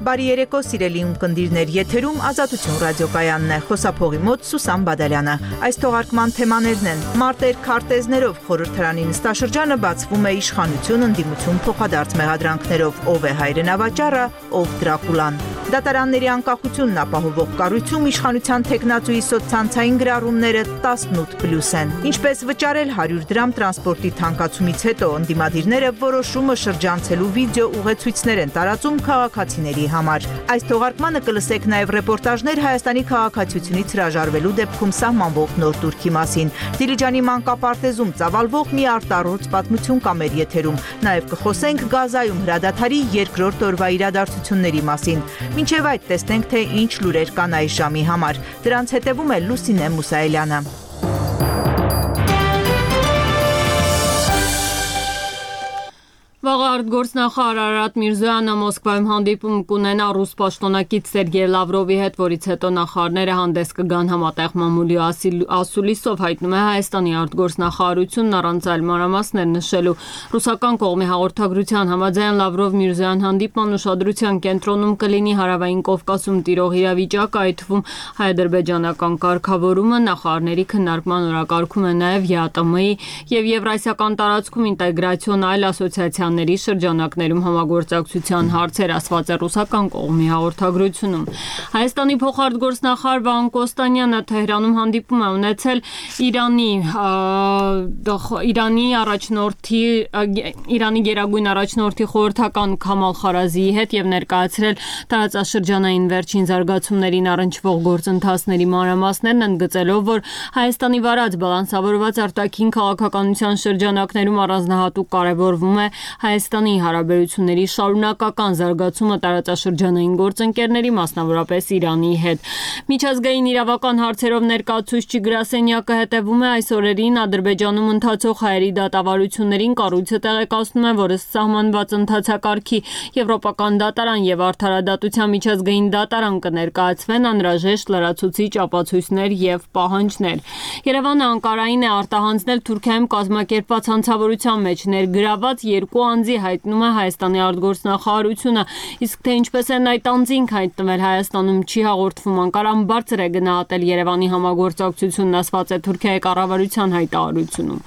Բարի երեկո սիրելի ունկնդիրներ, եթերում Ազատություն ռադիոկայանն է, խոսափողի մոտ Սուսան Բադալյանը։ Այս թողարկման թեմաներն են. մարտեր քարտեզներով խորհրդարանի նստաշրջանը բացվում է իշխանություն, ընդդիմություն, փոխադարձ մեղադրանքներով, ով է հայրենավաճառը, ով Դրակուլան։ Դատարանների անկախությունն ապահովող կառույցում իշխանության թեկնածուի սոցցանցային գրառումները 18+ են։ Ինչպես վճարել 100 դրամ տրանսպորտի թանկացումից հետո ընդդիմադիրները որոշումը շրջանցելու վիդեո ուղեցույցներ են տարածում քաղաքացիների համար։ Այս թողարկմանը կլսեք նաև ռեպորտաժներ Հայաստանի քաղաքացիությունից հրաժարվելու դեպքում սահմանվող նոր տուրքի մասին։ Դիլիջանի մանկապարտեզում ծավալվող մի արտառոց պատմություն կա մեր եթերում։ Նաև կխոսենք Գազայում հրադադարի երկրորդ օրվա իրադարձությունների մասին։ Մինչև այդ տեսնենք, թե ինչ լուրեր կան այս ժամի համար։ Դրանց հետևում է Լուսինե Մուսայելյանը։ Վաղը արտգործնախարար Արարատ Միրզոյանը Մոսկվայում հանդիպում կունենա ռուս պաշտոնակից Սերգեյ Լավրովի հետ, որից հետո նախարարները հանդես կգան համատեղ մամուլի ասուլիսով, հայտնում է Հայաստանի արտգործնախարարությունն առանց այլ մանրամասներ նշելու։ Ռուսական կողմի հաղորդագրության համաձայն Լավրով-Միրզոյան հանդիպման ուշադրության կենտրոնում կլինի Հարավային Կովկասում տիրող իրավիճակը, այդ թվում հայ-ադրբեջանական կարգավորումը, նախարարների քննարկման օրակարգում է նաև ԵԱՏՄ-ի եւ Եվրասիական տարածքում ինտեգրացիոն այլ ասոցիացիաների շրջանակներում համագործակցության հարցեր, ասված է ռուսական կողմի հաղորդագրությունում։ Հայաստանի փոխարտգործնախարար Վահան Կոստանյանը Թեհրանում հանդիպում է ունեցել Իրանի գերագույն առաջնորդի խորհրդական Քամալ Խարազիի հետ եւ ներկայացրել տարածաշրջանային վերջին զարգացումներին առնչվող գործընթացների մանրամասներն, ընդգծելով, որ Հայաստանի վարած բալանսավորված արտաքին քաղաքականության շրջանակներում առանձնահատուկ կարևորվում է Հայաստանի հարաբերությունների շարունակական զարգացումը տարածաշրջանային գործընկերների, մասնավորապես Իրանի հետ։ Միջազգային իրավական հարցերով ներկայացուցիչ գրասենյակը հետևում է այս օրերին Ադրբեջանում ընթացող հայերի դատավարություններին, կառույցը տեղեկացնում է, որ ըստ սահմանված ընթացակարգի Եվրոպական դատարան եւ Արդարադատության միջազգային դատարան կներկայացվեն անհրաժեշտ լրացուցիչ ապացույցներ եւ պահանջներ։ Երևանը Անկարային է արտահանձնել Թուրքիայում կազմակերպված հանցավորության մեջ ներգրաված երկու անձի, հայտնում է Հայաստանի արտգործնախարարությունը, իսկ թե ինչպես են այդ անձինք հայտնվել Հայաստանում չի հաղորդվում։ Անկարան բարձր է գնահատել Երևանի համագործակցությունն, ասված է Թուրքիայի կառավարության հայտարարությունում։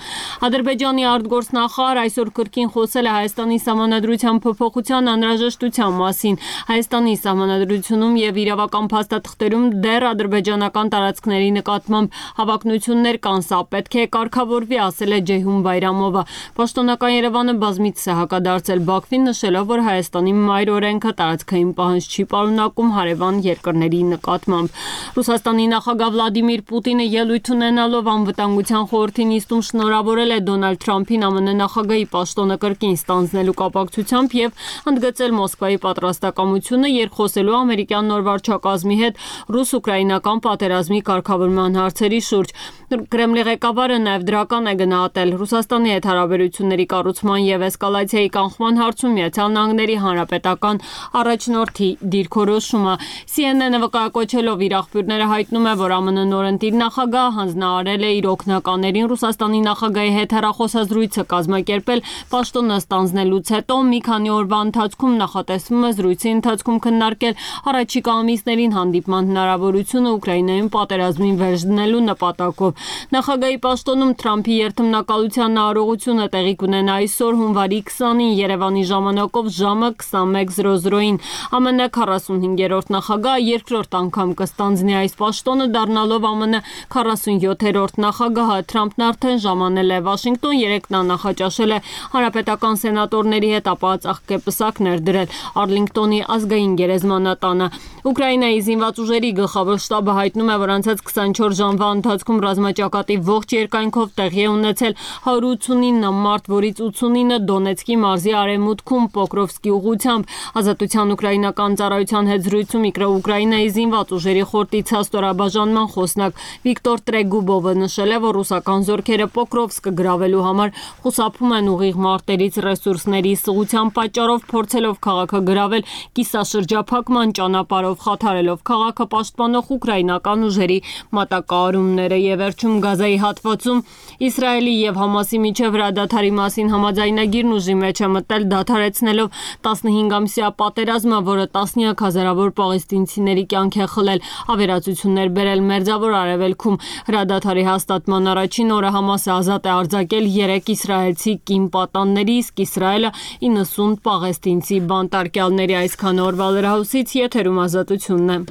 Ադրբեջանի արտգործնախարար այսօր կրկին խոսել է Հայաստանի սահմանադրության փոփոխության անհրաժեշտության մասին։ Հայաստանի սահմանադրությունում եւ իրավական փաստաթղթերում դեռ ադրբեջանական տարածքների նկատմամբ հավակնություններ կան, սա պետք է կարգավորվի, ասել է Ջեյհուն Բայրամովը։ Պաշտոնական Երևանը բազմիցս է հակադարձել Բաքվին, նշելով, որ Հայաստանի մայր օրենքը տարածքային պահանջ չի պարունակում հարևան երկրների նկատմամբ։ Ռուսաստանի նախագահ Վլադիմիր Պուտինը ելույթ ունենալով անվտանգության խորհրդի նիստում շնորհավորել է Դոնալդ Թրամփին ԱՄՆ նախագահի պաշտոնը կրկին ստանձնելու կապակցությամբ եւ ընդգծել Մոսկվայի պատրաստակամությունը երկխոսելու ամերիկյան նոր վարչակազմի հետ ռուս-ուկրաինական պատերազմի կարգավորման հարցերի շուրջ։ Կրեմլի ղեկավարը նաև դրական է գնահատել Ռուսաստանի հետ հարաբերությունների կառուցման եւ էսկալացիայի կանխման հարցում ԱՄՆ-ի հանրապետական առաջնորդի դիրքորոշումը։ CNN-ը վկայակոչելով իր աղբյուրները հայտնում է, որ ԱՄՆ նորընտիր նախագահը հանձնարարել է իր օգնականներին Ռուսաստանի նախագահի հետ հեռախոսազրույցը կազմակերպել պաշտոնը ստանձնելուց հետո մի քանի օրվա ընթացքում նախատեսվում է զրույցի ընթացքում քննարկել առաջիկա ամիսներին հանդիպման հնարավորությունը Ուկրաինայում պատերազմին վերջ դնելու նպատակով։ Նախագահի պաշտոնում Թրամփի երթմնակալության արարողությունը տեղի կունենա այսօր հունվարի 20-ին Երևանի ժամանակով ժամը 21:00-ին։ ԱՄՆ 45-րդ նախագահը երկրորդ անգամ կստանձնի այս պաշտոնը, դառնալով ԱՄՆ 47-րդ նախագահը։ Թրամփն արդեն ժամանել է Վաշինգտոն, երեկ նա նախաճաշել է հանրապետական սենատորների հետ, ապա ծաղկեպսակ ներդրել Արլինգտոնի ազգային գերեզմանատանը։ Ուկրաինայի զինված ուժերի գլխավոր շտաբը հայտնում է, որ անցած 24 ժամվա ընթացքում ռազմաճակատի ողջ երկայնքով տեղի է ունեցել 189 մարդ, որից 89 Դոնեցկի մարզի արևմուտքում Պոկրովսկի ուղղությամբ։ Ազատության ուկրաինական ծառայության հետ զրույցում Ուկրաինայի զինված ուժերի խորտի ցաստորաբաժանման խոսնակ Վիկտոր Տրեգուբովը նշել է, որ ռուսական զորքերը Պոկրովսկը գրավելու համար խուսափում են ուղիղ մարտերից ռեսուրսների սղության պատճառով, փորձելով քաղաքը գրավել կիսաշրջափակման ճանապարհով, խաթարելով քաղաքը պաշտպանող ուկրաինական ուժերի մատակարարումները։ Եվ վերջում Գազայի հատվածում Իսրայելի եւ Համասի միջև հրադադարի մասին համաձայնագիրն ուժի խաղաղարշավի մեջ է մտել, դադարեցնելով 15-ամսյա պատերազմը, որը տասնյակ հազարավոր պաղեստինցիների կյանք է խլել, ավերածություններ բերել Մերձավոր Արևելքում։ Հրադադարի հաստատման առաջին օրը Համասը ազատ է արձակել 3 իսրայելցի կին պատանների, իսկ Իսրայելը 90 պաղեստինցի բանտարկյալների։ Այսքան օրվա լրահոսից եթերում Ազատությունն է։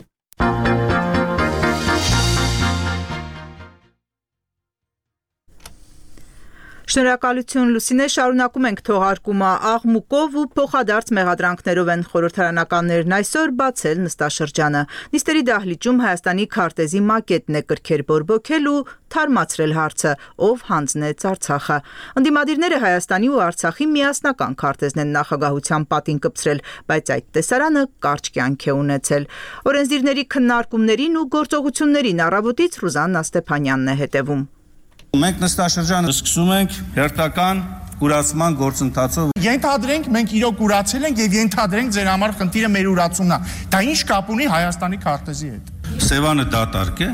Շնորհակալություն Լուսինե, շարունակում ենք թողարկումը աղմուկով ու փոխադարձ մեղադրանքներով են խորհրդարանականներն այսօր բացել նստաշրջանը։ Նիստերի դահլիճում Հայաստանի քարտեզի մակետն է կրքեր բորբոքել ու թարմացրել հարցը, ով հանձնեց Արցախը։ Ընդդիմադիրները Հայաստանի ու Արցախի միասնական քարտեզն են նախագահության պատին կպցրել, բայց այդ տեսարանը կարճ կյանք է ունեցել։ Օրենսդիրների քննարկումներին ու գործողություններին առավոտից Ռուզաննա Ստեփանյանն է հետևում։ Մենք նստաշրջանը սկսում ենք հերթական ուրացման գործընթացով։ Ենթադրենք մենք իրոք ուրացել ենք եւ ենթադրենք ձեր համար խնդիրը մեր ուրացումն է։ Դա ինչ կապ ունի Հայաստանի քարտեզի հետ։ Սևանը դատարկ է։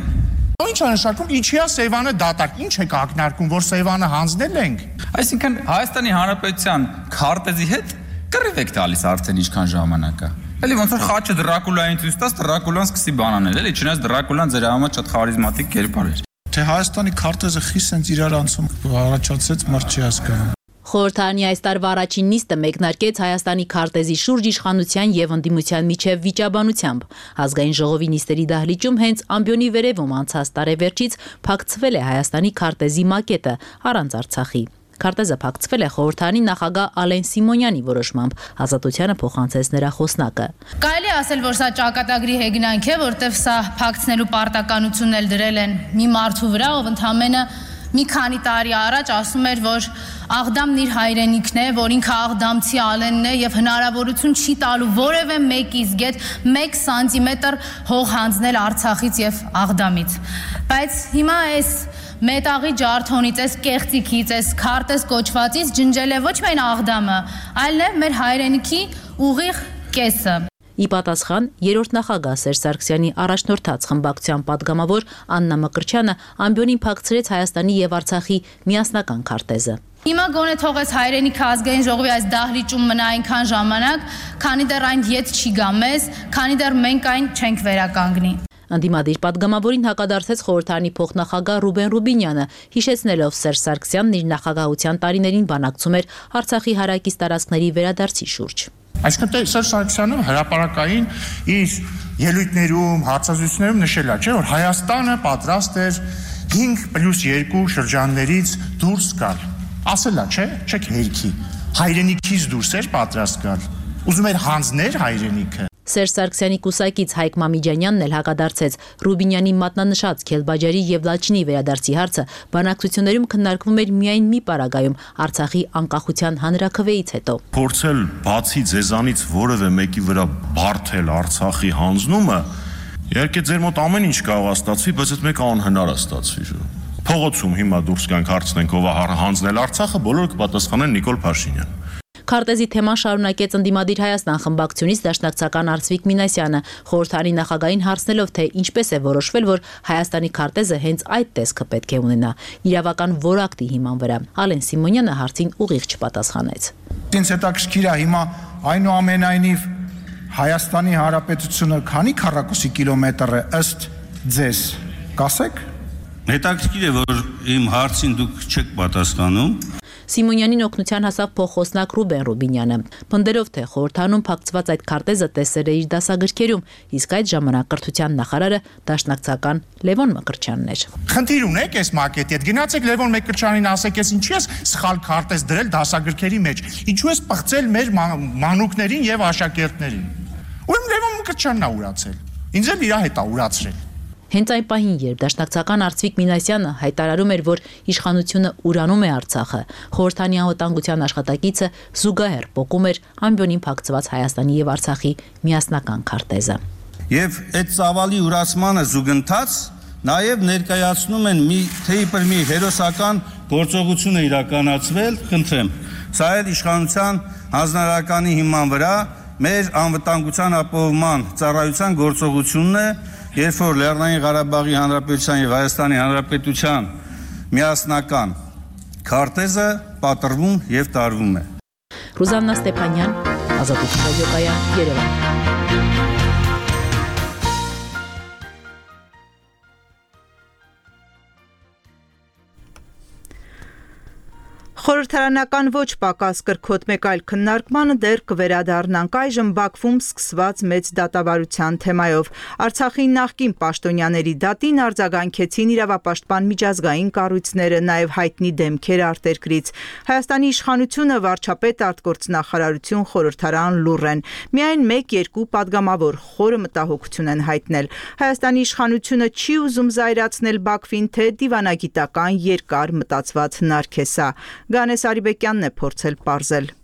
Ինչ է նշանակում, ինչի է Սևանը դատարկ, ինչ է ակնարկում, որ Սևանը հանձնել ենք։ Այսինքն Հայաստանի Հանրապետության քարտեզի հետ կռիվ եք տալիս արդեն ինչքան ժամանակ է։ Էլի ոնց որ խաչը Դրակուլային ցույց տաս, Դրակուլան սկսի բանանել, էլի չնայած Դրակուլան ձեր համար շատ խարիզմատիկ կերպար էր։ Թե Հայաստանի քարտեզը խիստ sense իրար անցում առաջացեց, մարդ չի հասկանում։ Խորհրդարանի այս տարվա առաջին նիստը մեկնարկեց Հայաստանի քարտեզի շուրջ իշխանության եւ ընդդիմության միջև վիճաբանությամբ։ Ազգային ժողովի նիստերի դահլիճում հենց ամբիոնի վերևում անցած տարեվերջից փակցվել է Հայաստանի քարտեզի մակետը առանց Արցախի։ Քարտեզը փակցվել է խորհրդարանի նախագահ Ալեն Սիմոնյանի որոշմամբ, Ազատությանը փոխանցեց նրա խոսնակը։ Կարելի է ասել, որ սա ճակատագրի հեգնանք է, որտեղ սա փակցնելու պարտականությունն էլ դրել են մի մարդու վրա, ով ընդամենը մի քանի տարի առաջ ասում էր, որ Աղդամն իր հայրենիքն է, որ ինքը աղդամցի Ալենն է եւ հնարավորություն չի տալու որևէ մեկից գետ 1 սանտիմետր հող հանձնել Արցախից եւ Աղդամից։ Բայց հիմա այս մետաղի ջարդոնից, այս կեղծիքից, այս քարտեզ կոչվածից ջնջել է ոչ միայն Աղդամը, այլ նաեւ մեր հայրենիքի ուղիղ կեսը։ Ի պատասխան երրորդ նախագահ Սերժ Սարգսյանի առաջնորդած խմբակցության падգամավոր Աննա Մկրտչյանը ամբիոնին փակցրեց Հայաստանի եւ Արցախի միասնական քարտեզը։ Հիմա գոնե թողեց հայրենիքը ազգային ժողովի այս դահլիճում մնա այնքան ժամանակ, քանի դեռ այն ետ չի գա մեզ, քանի դեռ մենք այն չենք վերականգնի։ Ընդդիմադիր падգամավորին հակադարձեց խորհրդարանի փոխնախագահ Ռուբեն Ռուբինյանը, հիշեցնելով Սերժ Սարգսյանն իր նախագահության տարիներին բանակցում էր Արցախի հարակից տարածքների վերադարձի շուրջ։ Այսինքն Սերժ Սարգսյանը հրապարակային իր ելույթներում, հարցազրույցներում նշել է, չէ՞, որ Հայաստանը պատրաստ էր 5+2 շրջաններից դուրս գալ։ Ասել է, չէ՞, չեք հերքի։ Հայրենիքից դուրս էր պատրաստ գալ։ Ուզում էր հանձներ հայրենիքը։ Սերժ Սարգսյանի կուսակից Հայկ Մամիջանյանն էլ հակադարձեց Ռուբինյանի մատնանշած Քելբաջարի եւ Լաչինի վերադարձի հարցը բանակցություններում քննարկվում էր միայն մի պարագայում Արցախի անկախության հանրաքվեից հետո։ Փորձել բացի ձեզանից որևէ մեկի վրա բարթել Արցախի հանձնումը, իհարկե ձեր մոտ ամեն ինչ կարող է ստացվի, բայց այդ մեկը անհնար է ստացվի։ Փողոցում հիմա դուրս գանք հարցնենք ով է հանձնել Արցախը, բոլորը կպատասխանեն Նիկոլ Փաշինյան։ Քարտեզի թեման շարունակեց ընդդիմադիր Հայաստան խմբակցությունից դաշնակցական Արծվիկ Մինասյանը, խորհրդարանի նախագահին հարցնելով, թե ինչպես է որոշվել, որ Հայաստանի քարտեզը հենց այդ տեսքը պետք է ունենա, իրավական որակտի հիման վրա։ Ալեն Սիմոնյանը հարցին ուղիղ չպատասխանեց։ Ինձ հետաքրքիր է հիմա այնուամենայնիվ Հայաստանի Հանրապետությունը քանի քառակուսի կիլոմետր է ըստ ձեզ, կասեք։ Հետաքրքիր է, որ իմ հարցին դուք չեք պատասխանում։ Սիմոնյանին օգնության հասավ փոխոսնակ Ռուբեն Ռուբինյանը, պնդելով, թե խորհրդարանում փակցված այդ քարտեզը տեսել է իր դասագրքերում, իսկ այդ ժամանակ կրթության նախարարը դաշնակցական Լևոն Մկրտչյանն էր։ Խնդիր ունեք այս մակետի հետ, գնացեք Լևոն Մկրտչյանին ասեք, ես ինչի՞ ես սխալ քարտեզ դրել դասագրքերի մեջ, ինչու ես պղծել մեր մանուկներին եւ աշակերտներին։ Ուրեմն Լևոն Մկրտչյանն է ուրացել։ Ինձ էլ իր հետ է ուրացրել։ Հենց այն պահին, երբ դաշնակցական Արծվիկ Մինասյանը հայտարարում էր, որ իշխանությունը ուրանում է Արցախը, խորհրդանի անվտանգության աշխատակիցը զուգահեռ պոկում էր ամբիոնին փակցված Հայաստանի եւ Արցախի միասնական քարտեզը։ Եվ այդ ծավալի ուրացմանը զուգընթաց նաև ներկայացնում են մի հերոսական գործողություն է իրականացվել, խնդրեմ։ Սա էլ իշխանության հանձնարարականի հիման վրա մեր անվտանգության ապահովման ծառայության գործողությունն է, երբ որ Լեռնային Ղարաբաղի Հանրապետության եւ Հայաստանի Հանրապետության միասնական քարտեզը պատրվում եւ տարվում է։ Ռուզաննա Ստեփանյան, Ազատություն ռադիոկայան, Երևան։ Խորհրդարանական ոչ պակաս կրքոտ մեկ այլ քննարկմանը դեռ կվերադառնանք այժմ Բաքվում սկսված մեծ դատավարության թեմայով։ Արցախի նախկին պաշտոնյաների դատին արձագանքեցին իրավապաշտպան միջազգային կառույցները, նաև հայտնի դեմքեր արտերկրից։ Հայաստանի իշխանությունը, վարչապետ, արտգործնախարարություն, խորհրդարան լուռ են։ Միայն 1-2 падգամավոր խորը մտահոգություն են հայտնել։ Հայաստանի իշխանությունը չի ուզում զայրացնել Բաքվին, թե դիվանագիտական երկար մտածված հնարք է սա։ Գանես Արիբեկյանն է փորձել պարզել։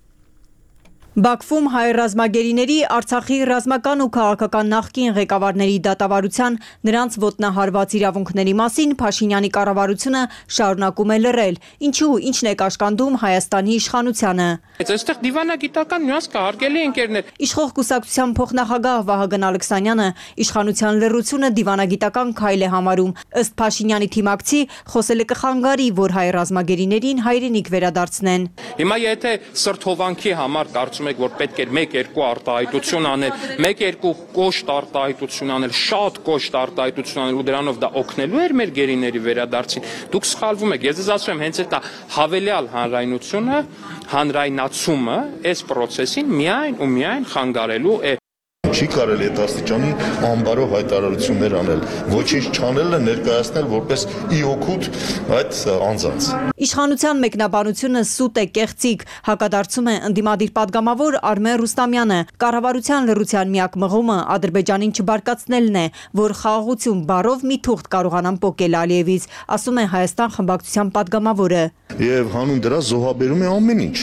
Բաքվում հայ ռազմագերիների Արցախի ռազմական ու քաղաքական նախկին ղեկավարների դատավարության նրանց ոտնահարված իրավունքների մասին Փաշինյանի կառավարությունը շարունակում է լռել։ Ինչու, ինչն է կաշկանդում Հայաստանի իշխանությանը։ Այստեղ դիվանագիտական նյուանս կա, հարգելի ընկերներ։ Իշխող կուսակցության փոխնախագահ Վահագն Ալեքսանյանը իշխանության լռությունը դիվանագիտական քայլ է համարում։ Ըստ Փաշինյանի թիմակցի, խոսելը կխանգարի, որ հայ ռազմագերիներին հայրենիք վերադարձնեն։ Հիմա եթե սրթովանքի համար կարծում եք, որ պետք էր 1-2 արտահայտություն անել, 1-2 կոշտ արտահայտություն անել, շատ կոշտ արտահայտություն անել ու դրանով դա օգնելու էր մեր գերիների վերադարձին, դուք սխալվում եք։ Ես ձեզ ասում եմ, հենց այդ հավելյալ հանրայնությունը, հանրայնացումը այս process-ին միայն ու միայն խանգարելու է։ Չի կարելի այդ աստիճանի անբարո հայտարարություններ անել, ոչինչ չանելը ներկայացնել որպես իօգուտ այդ անձանց։ Իշխանության մեկնաբանությունը սուտ է, կեղծիք, հակադարձում է ընդդիմադիր падգամավոր Արմեն Ռուստամյանը։ Կառավարության լռության միակ մղումը Ադրբեջանին չբարկացնելն է, որ խաղաղություն բառով մի թուղթ կարողանան պոկել Ալիևից, ասում է Հայաստան խմբակցության падգամավորը։ Եվ հանուն դրա զոհաբերում է ամեն ինչ։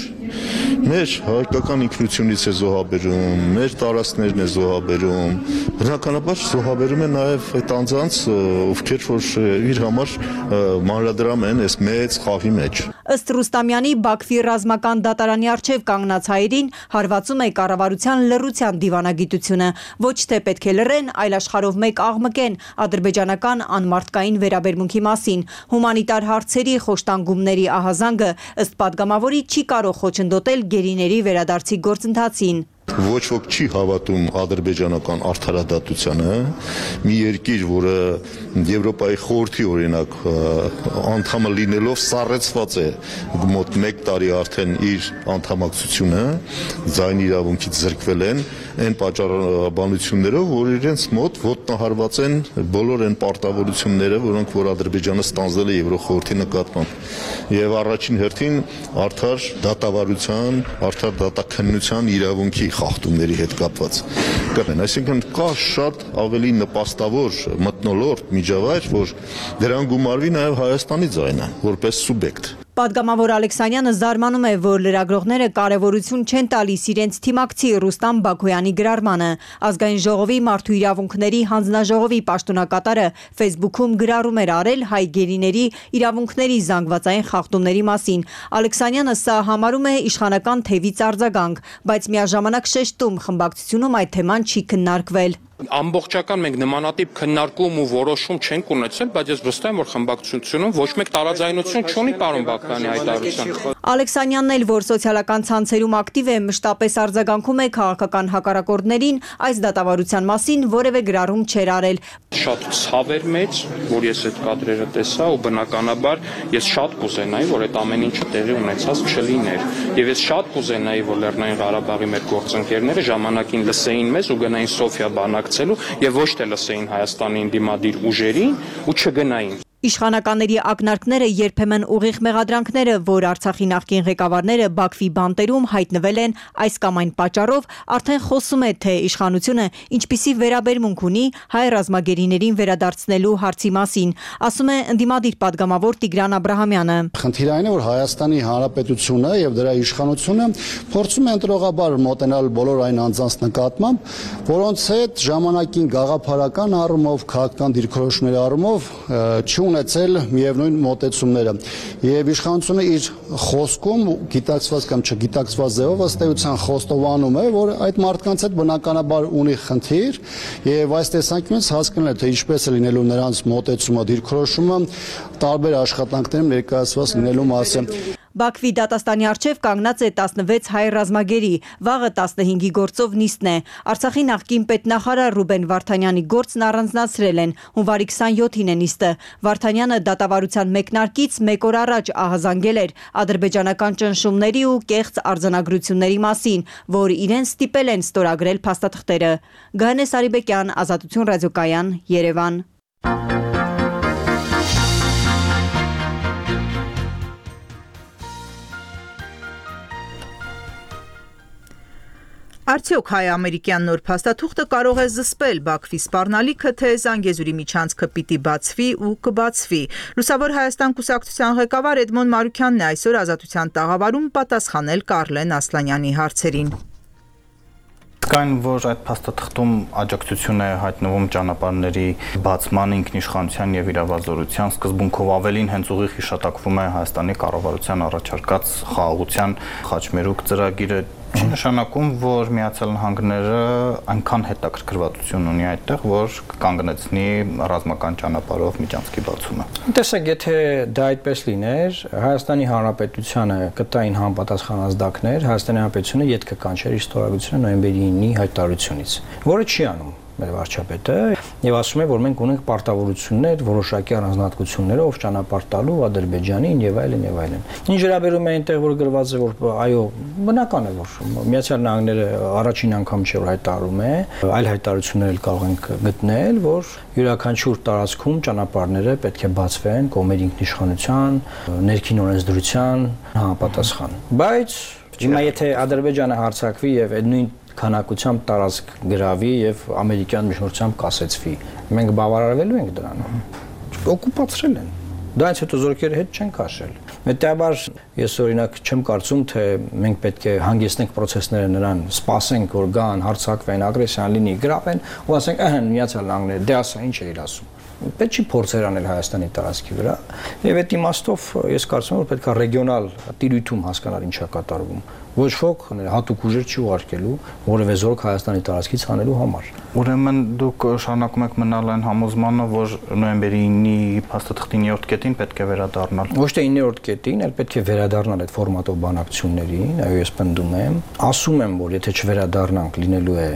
Մեր հայկական ինքնությունից է զոհաբերում, մեր տարածքներն է զոհաբերում, բնականաբար զոհաբերում է նաև այդ անձանց, ովքեր որ իր համար մանրադրամ են այս մեծ խաղի մեջ։ Ըստ Ռուստամյանի, Բաքվի ռազմական դատարանի առջև կանգնած հայերին հարվածում է կառավարության լռության դիվանագիտությունը։ Ոչ թե պետք է լռեն, այլ աշխարհով մեկ աղմկեն ադրբեջանական անմարդկային վերաբերմունքի մասին։ Հումանիտար հարցերի խոշտանգումների ահազանգը ըստ падգամավորի չի կարող խոչընդոտել գերիների վերադարձի գործընթացին։ Ոչ ոք չի հավատում ադրբեջանական արդարադատությանը, մի երկիր, որը Եվրոպայի խորհրդի օրինակ անդամը լինելով սառեցված է մոտ 1 տարի արդեն իր անդամակցությունը, ձայնի իրավունքից զրկվել են այն պատճառաբանություններով, որ իրենց մոտ ոտնահարված են բոլոր այն պարտավորությունները, որոնք որ Ադրբեջանը ստանձնել է Եվրոխորհրդի նկատմամբ։ Եվ առաջին հերթին արդար դատավարության, արդար դատաքննության իրավունքի խախտումների հետ կապված կրեն, այսինքն կա շատ ավելի նպաստավոր մթնոլորտ միջավայր, որ դրան գումարվի նաև Հայաստանի ձայնը որպես սուբյեկտ։ Պատգամավոր Ալեքսանյանը զարմանում է, որ լրագրողները կարևորություն չեն տալիս իրենց թիմակցի Ռուստամ Բաքոյանի գրառմանը։ Ազգային ժողովի մարդու իրավունքների հանձնաժողովի պաշտոնակատարը Facebook-ում գրառում էր արել հայ գերիների իրավունքների զանգվածային խախտումների մասին։ Ալեքսանյանը սա համարում է իշխանական թևից արձագանք, բայց միաժամանակ շեշտում խմբակցությունում այդ թեման չի քննարկվել։ Ամբողջական մենք նմանատիպ քննարկում ու որոշում չենք ունեցել, բայց ես վստահ եմ, որ խմբակցությունում ոչ մեկ տարաձայնություն չունի պարոն Բաքոյանի հայտարարության։ Ալեքսանյանն էլ, որ սոցիալական ցանցերում ակտիվ է, մշտապես արձագանքում է քաղաքական հակառակորդներին, այս դատավարության մասին որևէ գրառում չէր արել։ Շատ ցավ էր մեծ, որ ես այդ կադրերը տեսա ու բնականաբար ես շատ կուզենայի, որ այդ ամեն ինչը տեղի ունեցած չլիներ։ Եվ ես շատ կուզենայի, որ Լեռնային Ղարաբաղի մեր գործընկերները ժամանակին լսեին մեզ ու գնային Սոֆիա բանակցելու եւ ոչ թե լսեին Հայաստանի դիմադիր ուժերին ու չգնային։ Իշխանականների ակնարկները երբեմն ուղիղ մեղադրանքները, որ Արցախի նախկին ղեկավարները Բաքվի բանտերում հայտնվել են այս կամ այն պատճառով, արդեն խոսում է, թե իշխանությունը ինչպիսի վերաբերմունք ունի հայ ռազմագերիներին վերադարձնելու հարցի մասին, ասում է ընդդիմադիր падգամավոր Տիգրան Աբրահամյանը։ Խնդիրը այն է, որ Հայաստանի Հանրապետությունը եւ դրա իշխանությունը փորձում է ընտրողաբար մոտենալ բոլոր այն անձանց նկատմամբ, որոնց հետ ժամանակին գաղափարական առումով, քաղաքական դիրքորոշումների առումով ունեցել միևնույն մոտեցումները եւ իշխանությունը իր խոսքում գիտակցված կամ չգիտակցված ձևով ըստ էության խոստովանում է, որ այդ մարդկանց հետ բնականաբար ունի խնդիր եւ այս տեսանկյունից հասկանալ է, թե ինչպես է լինելու նրանց մոտեցումը, դիրքորոշումը տարբեր աշխատանքներում ներկայացված լինելու մասը։ Բաքվի դատաստանի առջև կանգնած է 16 հայ ռազմագերի, վաղը 15-ի գործով նիստն է։ Արցախի նախկին պետնախարար Ռուբեն Վարդանյանի գործն առանձնացրել են, հունվարի 27-ին է նիստը։ Վարդանյանը դատավարության մեկնարկից մեկ օր առաջ ահազանգել էր ադրբեջանական ճնշումների ու կեղծ արձանագրությունների մասին, որ իրեն ստիպել են ստորագրել փաստաթղթերը։ Գայանե Սարիբեկյան, Ազատություն ռադիոկայան, Երևան։ Արդյոք հայ-ամերիկյան նոր փաստաթուղթը կարող է զսպել Բաքվի սպառնալիքը, թե Զանգեզուրի միջանցքը պիտի բացվի ու կբացվի։ Լուսավոր Հայաստան կուսակցության ղեկավար Էդմոն Մարուքյանն է այսօր Ազատության տաղավարում պատասխանել Կարլեն Ասլանյանի հարցերին։ Կային, որ այդ փաստաթղթում աջակցություն է հայտնվում ճանապարհների բացման, ինքնիշխանության եւ իրավազորության սկզբունքով ավելին հենց ուղիղ հիշատակվում է Հայաստանի կառավարության առաջարկած խաղաղության խաչմերուկ ծրագիրը։ Չի նշանակում, որ Միացյալ Նահանգները այնքան հետաքրքրվածություն ունի այդտեղ, որ կանգնեցնի ռազմական ճանապարհով միջանցքի բացումը։ Տեսեք, եթե դա այդպես լիներ, Հայաստանի Հանրապետությանը կտային համապատասխան ազդակներ, Հայաստանի Հանրապետությունը յետք կկանչեր իր ստորագրությունը նոյեմբերի 9-ի հայտարարությունից, որը չի անում մեր վարչապետը եւ ասում է, որ մենք ունենք պարտավորություններ, որոշակի առանձնահատկություններով ճանապարհ տալու Ադրբեջանին եւ այլն եւ այլն։ Ինչ վերաբերում է այնտեղ, որ գրված է, որ այո, բնական է, որ Միացյալ Նահանգները առաջին անգամ չէ որ հայտարարում է, այլ հայտարարություններ էլ կարող ենք գտնել, որ յուրաքանչյուր տարածքում ճանապարհները պետք է բացվեն կողմերի ինքնիշխանության, ներքին օրենսդրության համապատասխան։ Բայց հիմա եթե Ադրբեջանը հարձակվի եւ այդ նույն քանակությամբ տարածք գրավի եւ ամերիկյան միջնորդությամբ կասեցվի, մենք բավարարվելու ենք դրանով։ Օկուպացրել են։ Դրանից հետո զորքերը հետ չեն քաշել։ Հետաբար ես օրինակ չեմ կարծում, թե մենք պետք է հանգեցնենք process-ները նրան, սպասենք, որ գան, հարձակվեն, ագրեսիան լինի, գրավեն, ու ասենք, Միացյալ Նահանգները, դե ասա ինչ է իր ասում։ Պետք չի փորձեր անել Հայաստանի տարածքի վրա եւ այդ իմաստով ես կարծում եմ որ պետք է ռեգիոնալ տիրույթում հասկանալ ինչա կատարվում ոչ ոք հատուկ ուժեր չի ուղարկելու որևէ զորք Հայաստանի տարածքից հանելու համար ուրեմն դուք շարունակում եք մնալ այն համոզմանը որ նոյեմբերի 9-ի փաստաթղթի 9-րդ կետին պետք է վերադառնալ ոչ թե 9-րդ կետին այլ պետք է վերադառնալ այդ ֆորմատով բանակցություններին այո ես պնդում եմ ասում եմ որ եթե չվերադառնանք լինելու է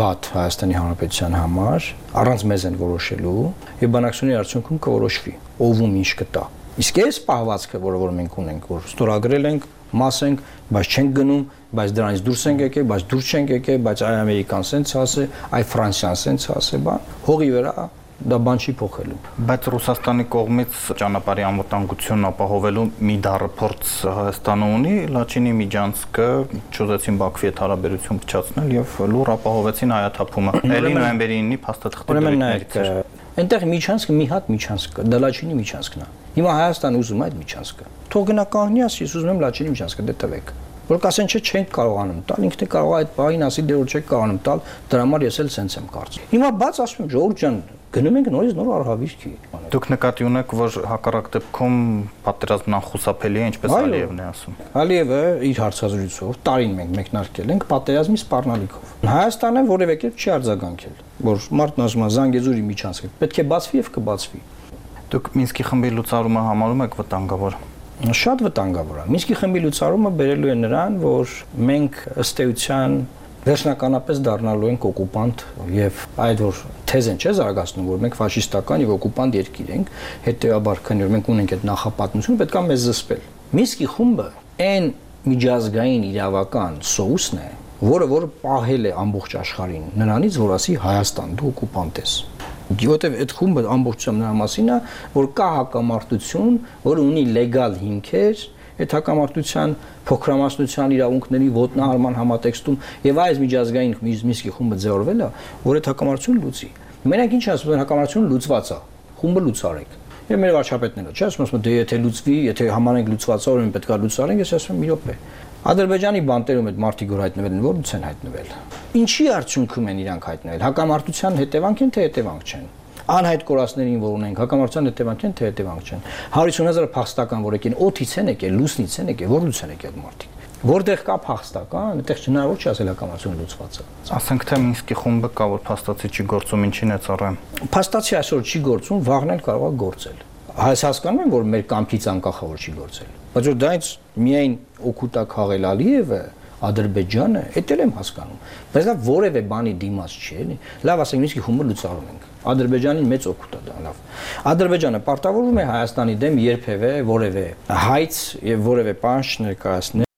վատ Հայաստանի Հանրապետության համար առանց մեզ են որոշելու եւ բանակցությունների արդյունքում կորոշվի ով ում ինչ կտա իսկ այս պահվածքը որ մենք ունենք որ ստորագրել ենք մաս ենք բայց չենք գնում բայց դրանից դուրս ենք եկել բայց դուրս չենք եկել բայց այ ամերիկան սենց ասե այ ֆրանսիան սենց ասե բան հողի վրա դա բան չի փոխելու բայց Ռուսաստանի կողմից ճանապարհի անվտանգությունն ապահովելու մի դարափորձ Հայաստանը ունի Լաչինի միջանցքը ճուզեցին Բաքվի հետ հարաբերություն փչացնել եւ լուր ապահովեցին հայաթափումը ելի նոյեմբերի 9-ի փաստաթղթի դեպքերից այնտեղ միջանցքը մի հատ միջանցք կա դա Լաչինի միջանցքն է հիմա Հայաստանը ուզում է այդ միջանցքը թող գնա կանգնի ասի ես ուզում եմ Լաչինի միջանցքը դե տվեք որ կասեն չէ չենք կարողանում տալ ինքն է կարող այդ բային ասի դե որ չեք կարողանում տալ դրա համար ես էլ սենց եմ կարծում հիմա բաց ասում եմ ժողովուրդ ջան գնում ենք նորից նոր արհավիրքի դուք նկատի ունեք որ հակառակ դեպքում պատերազմն անխուսափելի է ինչպես Ալիևն է ասում Ալիևը իր հարցազրույցով տարին մենք մեկնարկել ենք պատերազմի սպառնալիքով Հայաստանը որևէ կերպ չի արձագանքել որ մարդն ասում է Զանգեզուրի միջանցքը պետք է բացվի եւ կբացվի դուք Մինսկի խմբի լուծարումը համարում եք վտանգավոր շատ վտանգավոր է Մինսկի խմբի լուծարումը բերելու է նրան որ մենք ըստ էության վերջնականապես դառնալու ենք օկուպանտ եւ այդ որ թեզեն չէ զարգացնում որ մենք ֆաշիստական եւ օկուպանտ երկիր ենք հետեւաբար քանի որ մենք ունենք այդ նախապատմություն պետք է մեզ զսպել Մինսկի խումբը այն միջազգային իրավական սոուսն է որը պահել է ամբողջ աշխարհին նրանից որ ասի Հայաստան դու օկուպանտ ես Որտեւ այդ խումբը ամբողջությամբ նրա մասին է որ կա հակամարտություն որը ունի լեգալ հիմքեր այդ հակամարտության փոքրամասնության իրավունքների ոտնահարման համատեքստում եւ այս միջազգային Մինսկի խումբը ձևավորվել է որ այդ հակամարտությունը լուծի մենակ ինչ ասում են հակամարտությունը լուծված է խումբը լուծարեք եւ մեր վարչապետները չէ ասում դե եթե լուծվի եթե համանենք լուծված է ուրեմն պետք է լուծարենք ես ասում եմ մի րոպե Ադրբեջանի բանտերում այդ մարտիկ որ հայտնվել են որից են հայտնվել ինչի արդյունքում են իրանք հայտնվել հակամարտության հետևանք են թե հետևանք չեն անհայտ կորածներին որ ունենք հակամարտության հետևանք են թե հետևանք չեն 150,000 փախստական որ եկին օթից են եկել լուսնից են եկել որից են եկել մարտիկ որտեղ կա փախստական այդտեղ հնարավոր չի ասել հակամարտությունը լուծված է ասենք թե Մինսկի խումբը կա որ փաստացի չի գործում ինչին է ծառայում փաստացի այսօր չի գործում վաղն էլ կարող է գործել Հայ հասկանում են որ մեր կամքից անկախ է որ չի գործել Բայց որ դրանից միայն օգուտա քաղել Ալիևը, Ադրբեջանը, դա էլ եմ հասկանում։ Բայց դա որևէ բանի դիմաց չի, էլի։ Լավ, ասենք նույնիսկ խումբը լուծարում ենք։ Ադրբեջանին մեծ օգուտ է դա, լավ։ Ադրբեջանը պարտավորվում է Հայաստանի դեմ երբևէ որևէ հայց եւ որևէ բան չներկայացնել։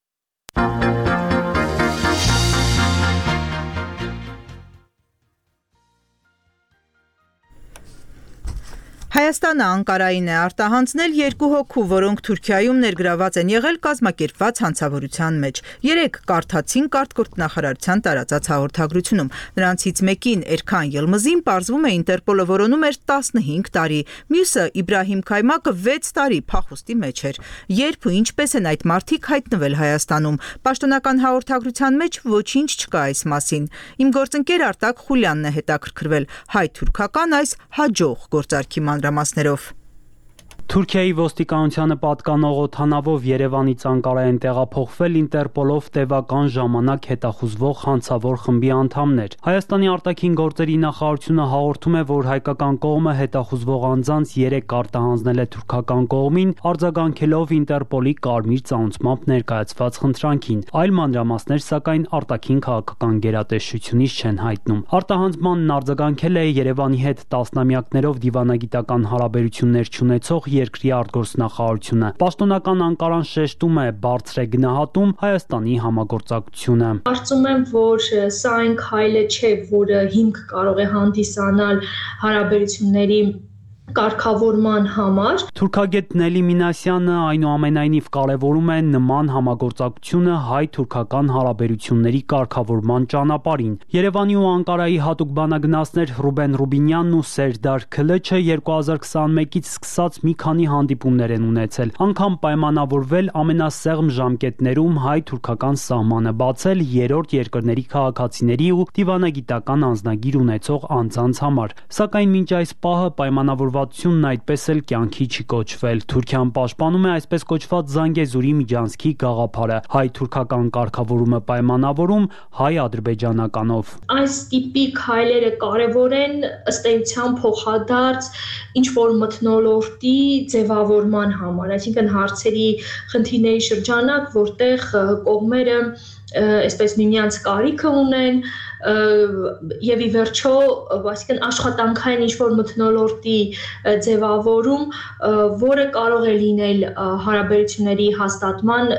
Հայաստանը Անկարային է արտահանձնել 2 հոգու, որոնք Թուրքիայում ներգրաված են եղել կազմակերպված հանցավորության մեջ։ 3 կարդացին կարգգործնախարարության տարածած հաղորդագրությունում։ Նրանցից մեկին Էրքան Ելմզին պարզվում է Ինտերպոլը որոնում էր 15 տարի, մյուսը Իբրահիմ Քայմակը 6 տարի փախուստի մեջ էր։ Երբ ու ինչպես են այդ մարդիկ հայտնվել Հայաստանում։ Պաշտոնական հաղորդագրության մեջ ոչինչ չկա այս մասին։ Իմ գործընկեր Արտակ Խուլյանն է հետաքրքրվել հայ-թուրքական այս հաջող գործարքի մանրամասներով։ Թուրքիայի ոստիկանությանը պատկանող օդանավով Երևանից Անկարա են տեղափոխվել Ինտերպոլով տևական ժամանակ հետախուզվող հանցավոր խմբի անդամներ։ Հայաստանի արտաքին գործերի նախարարությունը հաղորդում է, որ հայկական կողմը հետախուզվող անձանց 3 արտահանձնել է թուրքական կողմին, արձագանքելով Ինտերպոլի կարմիր ծանուցմամբ ներկայացված խնդրանքին։ Այլ մանրամասներ, սակայն արտաքին քաղաքական գերատեսչությունից չեն հայտնում։ Արտահանձմանն արձագանքել է Երևանի հետ տասնամյակներով դիվանագիտական հարաբերություններ չունեցող երկրի արտգործնախարարությունը։ Պաշտոնական Անկարան շեշտում է բարձր է գնահատում Հայաստանի համագործակցությունը։ Կարծում եմ, որ սա այն քայլը չէ, որը հիմք կարող է հանդիսանալ հարաբերությունների կարգավորման համար։ Թուրքագետ Նելի Մինասյանը այնուամենայնիվ կարևորում է նման համագործակցությունը հայ-թուրքական հարաբերությունների կարգավորման ճանապարհին։ Երևանի ու Անկարայի հատուկ բանագնացներ Ռուբեն Ռուբինյանն ու Սերդար Քլեչը 2021-ից սկսած մի քանի հանդիպումներ են ունեցել, անգամ պայմանավորվել ամենասեղմ ժամկետներում հայ-թուրքական սահմանը բացել երրորդ երկրների քաղաքացիների ու դիվանագիտական անձնագիր ունեցող անձանց համար։ Սակայն մինչ այս պահը պայմանավորվածությունն այդպես էլ կյանքի չի կոչվել։ Թուրքիան պաշտպանում է այսպես կոչված Զանգեզուրի միջանցքի գաղափարը, հայ-թուրքական կարգավորումը պայմանավորում հայ-ադրբեջանականով։ Այս տիպի քայլերը կարևոր են ըստ էության փոխադարձ ինչ-որ մթնոլորտի ձևավորման համար, այսինքն հարցերի խնդիրների շրջանակ, որտեղ կողմերը այսպես միմյանց կարիքը ունեն եւ ի վերջո, այսինքն աշխատանքային ինչ-որ մթնոլորտի ձևավորում, որը կարող է լինել հարաբերությունների հաստատման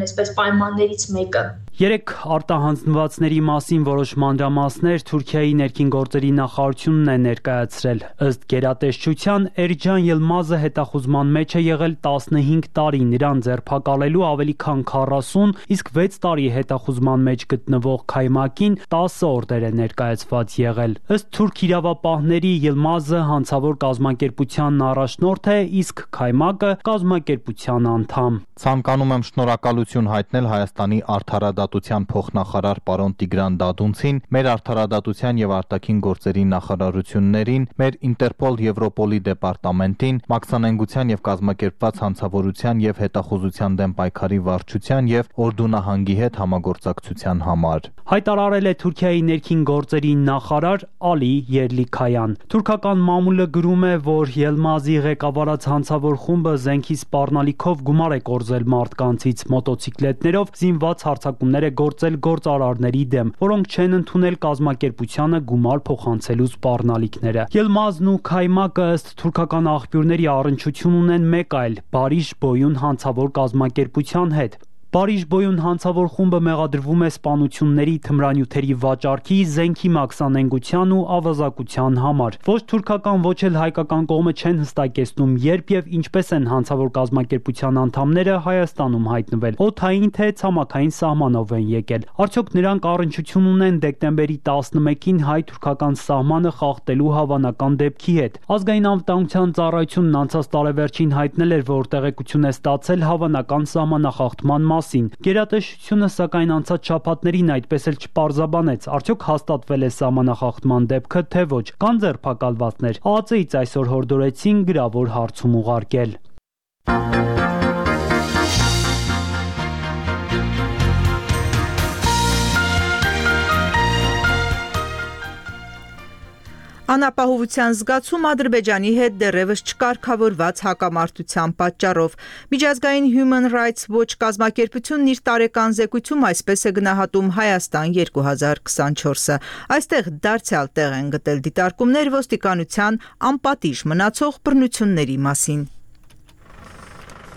այսպես պայմաններից մեկը։ 3 արտահանձնվածների մասին որոշ մանրամասներ Թուրքիայի ներքին գործերի նախարարությունն է ներկայացրել։ Ըստ գերատեսչության Էրջան Ելմազը հետախուզման մեջ է եղել 15 տարի, նրան ձերբակալելու ավելի քան 40, իսկ 6 տարի հետախուզման մեջ գտնվող Քայմակին 10 օրդեր է ներկայացված եղել։ Ըստ թուրք իրավապահների Ելմազը հանցավոր կազմակերպության առաջնորդ է, իսկ Քայմակը կազմակերպության անդամ։ Ցանկանում եմ շնորհակալություն հայտնել Հայաստանի արդարադատության փոխնախարար պարոն Տիգրան Դադունցին, մեր արդարադատության եւ արտաքին գործերի նախարարություններին, մեր Ինտերպոլ Եվրոպոլի դեպարտամենտին, մաքսանենգության եւ կազմակերպված հանցավորության եւ հետախուզության դեմ պայքարի վարչության եւ Օրդու-նահանգի հետ համագործակցության համար։ Հայտարարել է Թուրքիայի ներքին գործերի նախարար Ալի Երլիքայան։ Թուրքական մամուլը գրում է, որ Ելմազի ղեկավարած հանցավոր խումբը զենքի սպառնալիքով գումար է կորզել մարդկանցից, մոտոցիկլետներով զինված հարձակումներ է գործել գործարարների դեմ, որոնք չեն ընդունել կազմակերպությանը գումար փոխանցելու սպառնալիքները։ Ելմազն ու Քայմակը ըստ թուրքական աղբյուրների առնչություն ունեն մեկ այլ Բարիշ Բոյուն հանցավոր կազմակերպության հետ։ Բարիշ Բոյուն հանցավոր խումբը մեղադրվում է սպանությունների, թմրանյութերի վաճառքի, զենքի մաքսանենգության ու ավազակության համար։ Ոչ թուրքական, ոչ էլ հայկական կողմը չեն հստակեցնում, երբ եւ ինչպես են հանցավոր կազմակերպության անդամները Հայաստանում հայտնվել, օդային թե ցամաքային սահմանով են եկել։ Արդյոք նրանք առնչություն ունեն դեկտեմբերի 11-ին հայ-թուրքական սահմանը խախտելու հավանական դեպքի հետ։ Ազգային անվտանգության ծառայությունն անցած տարեվերջին հայտնել էր, որ տեղեկություն է ստացել հավանական սահմանախախտման մասին։ Գերատեսչությունը սակայն անցած շաբաթներին այդպես էլ չպարզաբանեց, արդյոք հաստատվել է սահմանախախտման դեպքը, թե ոչ, կան ձերբակալվածներ։ ԱԱԾ-ից այսօր հորդորեցին գրավոր հարցում ուղարկել։ Անապահովության զգացում Ադրբեջանի հետ դեռևս չկարգավորված հակամարտության պատճառով։ Միջազգային Human Rights Watch կազմակերպությունն իր տարեկան զեկույցում այսպես է գնահատում Հայաստան 2024-ը։ Այստեղ դարձյալ տեղ են գտել դիտարկումներ ոստիկանության անպատիժ մնացող բռնությունների մասին։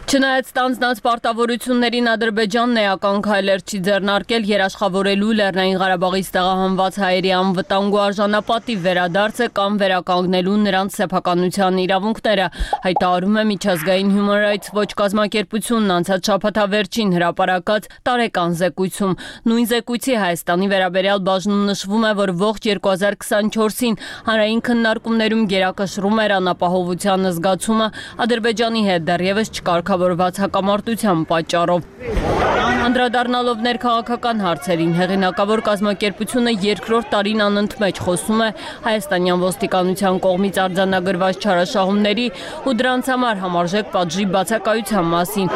Չնայած ստանձնած պարտավորություններին Ադրբեջանն էական քայլեր չի ձեռնարկել երաշխավորելու Լեռնային Ղարաբաղից տեղահանված հայերի անվտանգ ու արժանապատիվ վերադարձը կամ վերականգնելու նրանց սեփականության իրավունքները, հայտարարում է Միջազգային Human Rights Watch կազմակերպությունն անցած շաբաթավերջին հրապարակած տարեկան զեկույցում։ Նույն զեկույցի Հայաստանի վերաբերյալ բաժնում նշվում է, որ ողջ 2024-ին հանրային քննարկումներում գերակշռում էր անապահովության զգացումը Ադրբեջանի հետ դեռևս չկարգավորված հակամարտության պատճառով։ Անդրադառնալով ներքաղաքական հարցերին, հեղինակավոր կազմակերպությունը երկրորդ տարին անընդմեջ խոսում է հայաստանյան ոստիկանության կողմից արձանագրված չարաշահումների ու դրանց համար համարժեք պատժի բացակայության մասին։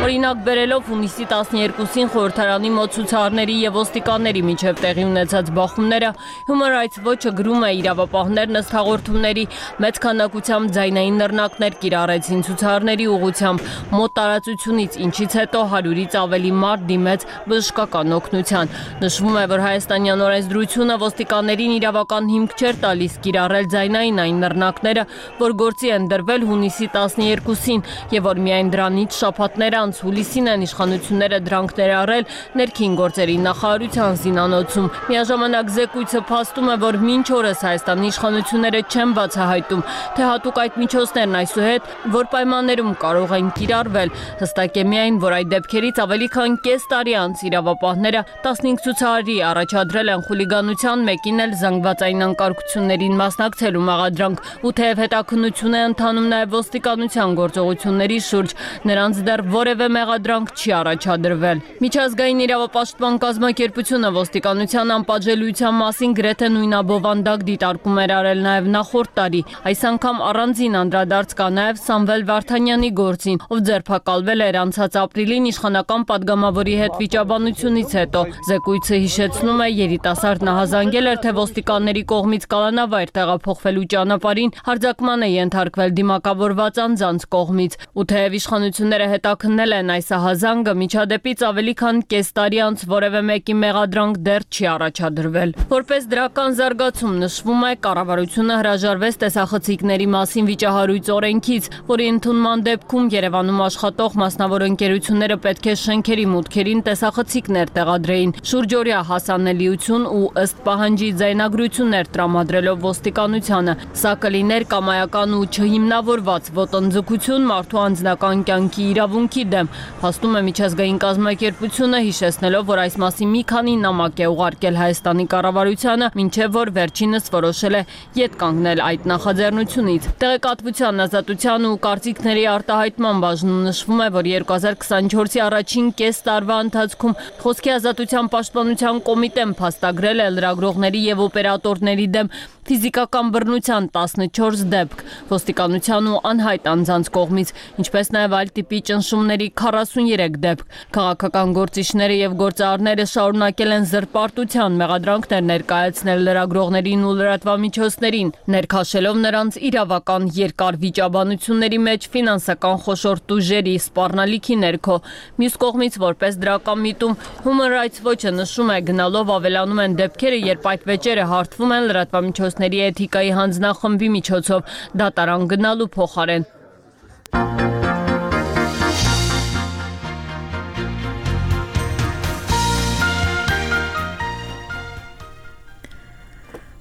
Օրինակ բերելով հունիսի 12-ին խորհրդարանի մոտ ցուցարարների եւ ոստիկանների միջև տեղի ունեցած բախումները, Human Rights Watch-ը գրում է իրավապահներն ըստ հաղորդումների մեծ քանակությամբ ձայնային նռնակներ կիրառեցին ցուցարարների ուղղությամբ մոտ տարածությունից, ինչից հետո 100-ից ավելի մարդ դիմեց բժշկական օգնության։ Նշվում է, որ հայաստանյան օրենսդրությունը ոստիկաններին իրավական հիմք չէր տալիս կիրառել ձայնային այն նռնակները, որ գործի են դրվել հունիսի 12-ին եւ որ միայն դրանից շաբաթներ անց հուլիսին են իշխանությունները դրանք ներառել ներքին գործերի նախարարության զինանոցում։ Միաժամանակ զեկույցը փաստում է, որ մինչ օրս Հայաստանի իշխանությունները չեն բացահայտում, թե հատուկ այդ միջոցներն այսուհետ որ պայմաններում կարող են կիրառվել։ Հստակ է միայն, որ այդ դեպքերից ավելի քան կես տարի անց իրավապահները 15 ցուցարարի առաջադրել են խուլիգանության, մեկին էլ զանգվածային անկարգություններին մասնակցելու մեղադրանք, ու թեև հետաքննություն է ընթանում նաև ոստիկանության գործողությունների շուրջ, նրանց դեռ որևէ մեղադրանք չի առաջադրվել։ Միջազգային իրավապաշտպան կազմակերպությունը ոստիկանության անպատժելիության մասին գրեթե նույնաբովանդակ դիտարկում էր արել նաև նախորդ տարի։ Այս անգամ առանձին անդրադարձ կա նաև Սամվել Վարդանյանի գործին, ով ձերբակալվել էր անցած ապրիլին իշխանական падգամավորի հետ վիճաբանությունից հետո։ Զեկույցը հիշեցնում է, երիտասարդն ահազանգել էր, թե ոստիկանների կողմից կալանավայր տեղափոխվելու ճանապարհին հարձակման է ենթարկվել դիմակավորված անձանց կողմից, ու թեև իշխանությունները հետաքննել են այս ահազանգը, միջադեպից ավելի քան կես տարի անց որևէ մեկի մեղադրանք դեռ չի առաջադրվել։ Որպես դրական զարգացում նշվում է, կառավարությունը հրաժարվեց տեսախցիկների մասին վիճահարույց օրենքից, որի ընդունման դեպքում Երևանում աշխատող մասնավոր ընկերությունները պետք է շենքերի մուտքերին տեսախցիկներ տեղադրեին, շուրջօրյա հասանելիություն ու ըստ պահանջի ձայնագրություններ տրամադրելով ոստիկանությանը։ Սա կլիներ կամայական ու չհիմնավորված ոտնձգություն մարդու անձնական կյանքի իրավունքի դեմ, փաստում է միջազգային կազմակերպությունը, հիշեցնելով, որ այս մասին մի քանի նամակ է ուղարկել Հայաստանի կառավարությանը, մինչև որ վերջինս որոշել է ետ կանգնել այդ նախաձեռնությունից։ Տեղեկատվության ազատության ու կարծիքների արտահայտման բաժնում նշվում է, որ 2024-ի առաջին կես տարվա ընթացքում Խոսքի ազատության պաշտպանության կոմիտեն փաստագրել է լրագրողների եւ օպերատորների դեմ ֆիզիկական բռնության 14 դեպք, ոստիկանության ու անհայտ անձանց կողմից, ինչպես նաև այլ տիպի ճնշումների 43 դեպք։ Քաղաքական գործիչները եւ գործարարները շարունակել են զրպարտության մեղադրանքներ ներկայացնել լրագրողներին ու լրատվամիջոցներին, ներքաշելով նրանց իրավական երկար վիճաբանությունների մեջ ֆինանսական խոշոր ուժերի սպառնալիքի ներքո։ Մյուս կողմից, որպես դրական միտում, Human Rights Watch-ը նշում է, գնալով ավելանում են դեպքերը, երբ այդ վեճերը հարթվում են լրատվամիջոցների էթիկայի հանձնախմբի միջոցով, դատարան գնալու փոխարեն։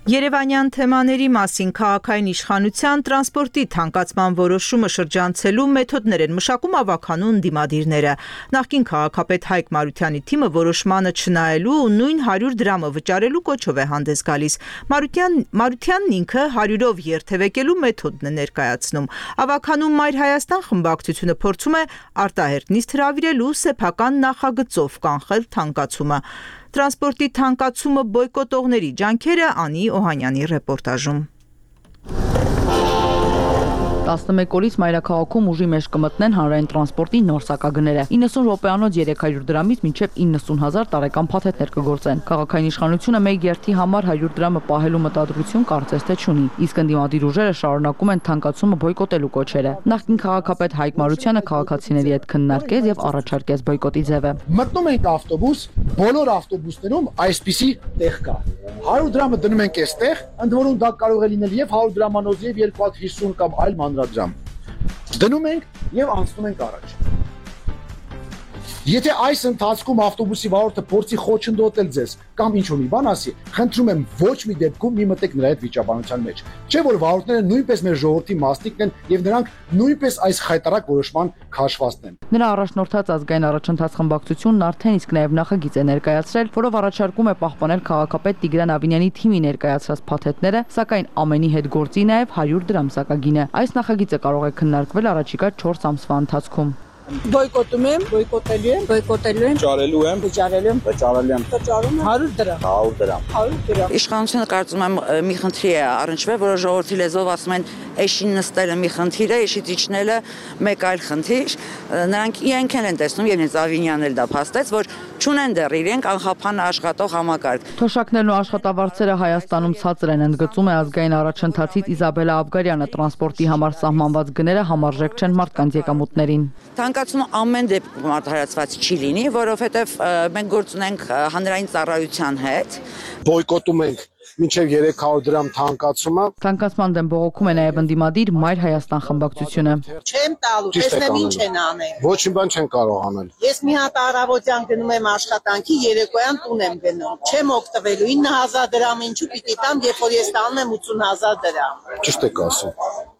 Երևանյան թեմաների մասին քաղաքային իշխանության տրանսպորտի թանկացման որոշումը շրջանցելու մեթոդներ են մշակում ավականու ընդդիմադիրները։ Նախկին քաղաքապետ Հայկ Մարությանի թիմը որոշմանը չնայելու ու նույն 100 դրամը վճարելու կոչով է հանդես գալիս։ Մարությանն ինքը 100-ով երթևեկելու մեթոդն է ներկայացնում։ Ավականու Մայր Հայաստան խմբակցությունը փորձում է արտահերտ նիստ հրավիրելու սեփական նախագծով կանխել թանկացումը։ Տրանսպորտի թանկացումը բոյկոտողների ջանքերը Անի Օհանյանի ռեպորտաժում։ 11 օրից մայրաքաղաքում ուժի մեջ կմտնեն հանրային տրանսպորտի նոր սակագները։ 90 րոպեանոց 300 դրամից մինչև 90,000 տարեկան փաթեթներ կգործեն։ Քաղաքային իշխանությունը մեկ երթի համար 100 դրամը պահելու մտադրություն կարծես թե չունի, իսկ ընդդիմադիր ուժերը շարունակում են թանկացումը բոյկոտելու կոչերը։ Նախկին քաղաքապետ Հայկ Մարությանը քաղաքացիների հետ քննարկեց եւ առաջարկեց բոյկոտի ձևը։ Մտնում ենք ավտոբուս, բոլոր ավտոբուսներում այսպիսի տեղ կա։ 100 դրամը դնում ենք այստեղ, ընդ որում դա կարող է լինել եւ 100 դրամանոց եւ 250 կամ այլ մանրադրամ։ Դնում ենք եւ անցնում ենք առաջ։ Եթե այս ընթացքում ավտոբուսի վարորդը փորձի խոչընդոտել ձեզ կամ ինչ-որ մի բան ասի, խնդրում եմ ոչ մի դեպքում մի մտեք նրա հետ վիճաբանության մեջ։ Չէ՞ որ վարորդները նույնպես մեր ժողովրդի մասնիկն են եւ նրանք նույնպես այս խայտարակ որոշման քաշվածն են։ Նրա առաջնորդած ազգային առաջընթաց խմբակցությունն արդեն իսկ նաեւ նախագիծ է ներկայացրել, որով առաջարկում է պահպանել քաղաքապետ Տիգրան Ավինյանի թիմի ներկայացրած փաթեթները, սակայն ամենի հետ գործի նաեւ 100 դրամ սակագինը։ Այս նախագիծը կարող է քննարկվել առաջիկա 4 ամսվա ընթացքում։ Բոյկոտում եմ, բոյկոտելու եմ, վճարելու եմ, վճարելու եմ, 100 դրամ, 100 դրամ։ Իշխանությունը կարծում եմ մի խնդրի է առնչվել, որը ժողովրդի լեզվով ասում են էշին նստելը մի խնդիր է, էշից իջնելը մեկ այլ խնդիր։ Նրանք իրենք են տեսնում եւ ինձ Ավինյանն էլ դա փաստեց, որ չունեն դեռ իրենք անխափան աշխատող համակարգ։ Թոշակներն ու աշխատավարձերը Հայաստանում ցածր են, ընդգծում է ազգային առաջընթացից Իզաբելա Աբգարյանը, տրանսպորտի համար սահմանված գները համարժեք չեն մարդկանց եկամուտներին։ Թանկացումը ամեն դեպքում արդարացված չի լինի, որովհետև մենք գործ ունենք հանրային ծառայության հետ։ Բոյկոտում ենք մինչև 300 դրամ թանկացումը։ Թանկացման դեմ բողոքում է նաև ընդդիմադիր Մայր Հայաստան խմբակցությունը։ Չեմ տալու, տեսնեմ ինչ են անել։ Ոչ մի բան չեն կարող անել։ Ես մի հատ առավոտյան գնում եմ աշխատանքի, երեկոյան տուն եմ գնում։ Չեմ օգտվելու 9000 դրամ ինչու պիտի տամ, երբ որ ես տանում եմ 80000 դրամ։ Ճիշտ եք ասում։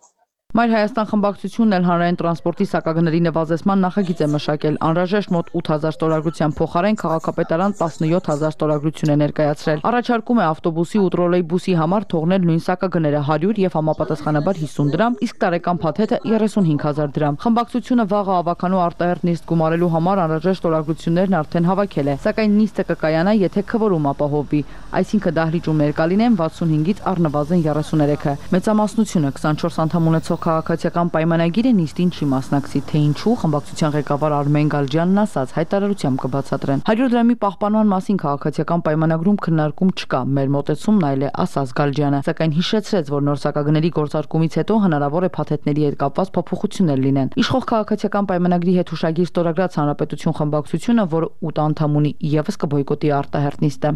Մայր Հայաստան խմբակցությունն էլ հանրային տրանսպորտի սակագների նվազեցման նախագիծ է մշակել։ Անհրաժեշտ մոտ 8000 ստորագրության փոխարեն քաղաքապետարան 17000 ստորագրություն է ներկայացրել։ Առաջարկում է ավտոբուսի ու տրոլեյբուսի համար թողնել նույն սակագները 100 եւ համապատասխանաբար 50 դրամ, իսկ տարեկան փաթեթը 35000 դրամ։ Խմբակցությունը վաղը ավականու արտահերթ նիստ գումարելու համար անհրաժեշտ ստորագրություններն արդեն հավաքել է, սակայն նիստը կկայանա, եթե քվորում ապահովվի, այսինքն դահլիճում ներկա լինեն 65-ից առնվազն 33-ը։ Մեծամասնությունը 24 անդամ ունեցող քաղաքացիական պայմանագիրը նիստին չի մասնակցի, թե ինչու խմբակցության ղեկավար Արմեն Գալջյանն ասաց, հայտարարությամբ կբացատրեն։ 100 դրամի պահպանման մասին քաղաքացիական պայմանագրում քննարկում չկա, մեր մոտեցումն այլ է, ասաց Գալջյանը, սակայն հիշեցրեց, որ նոր սակագների գործարկումից հետո հնարավոր է փաթեթների հետ կապված փոփոխություններ լինեն։ Իշխող քաղաքացիական պայմանագրի հետ հուշագիր ստորագրած Հանրապետություն խմբակցությունը, որը 8 անդամ ունի, եւս կբոյկոտի արտահերթ նիստը։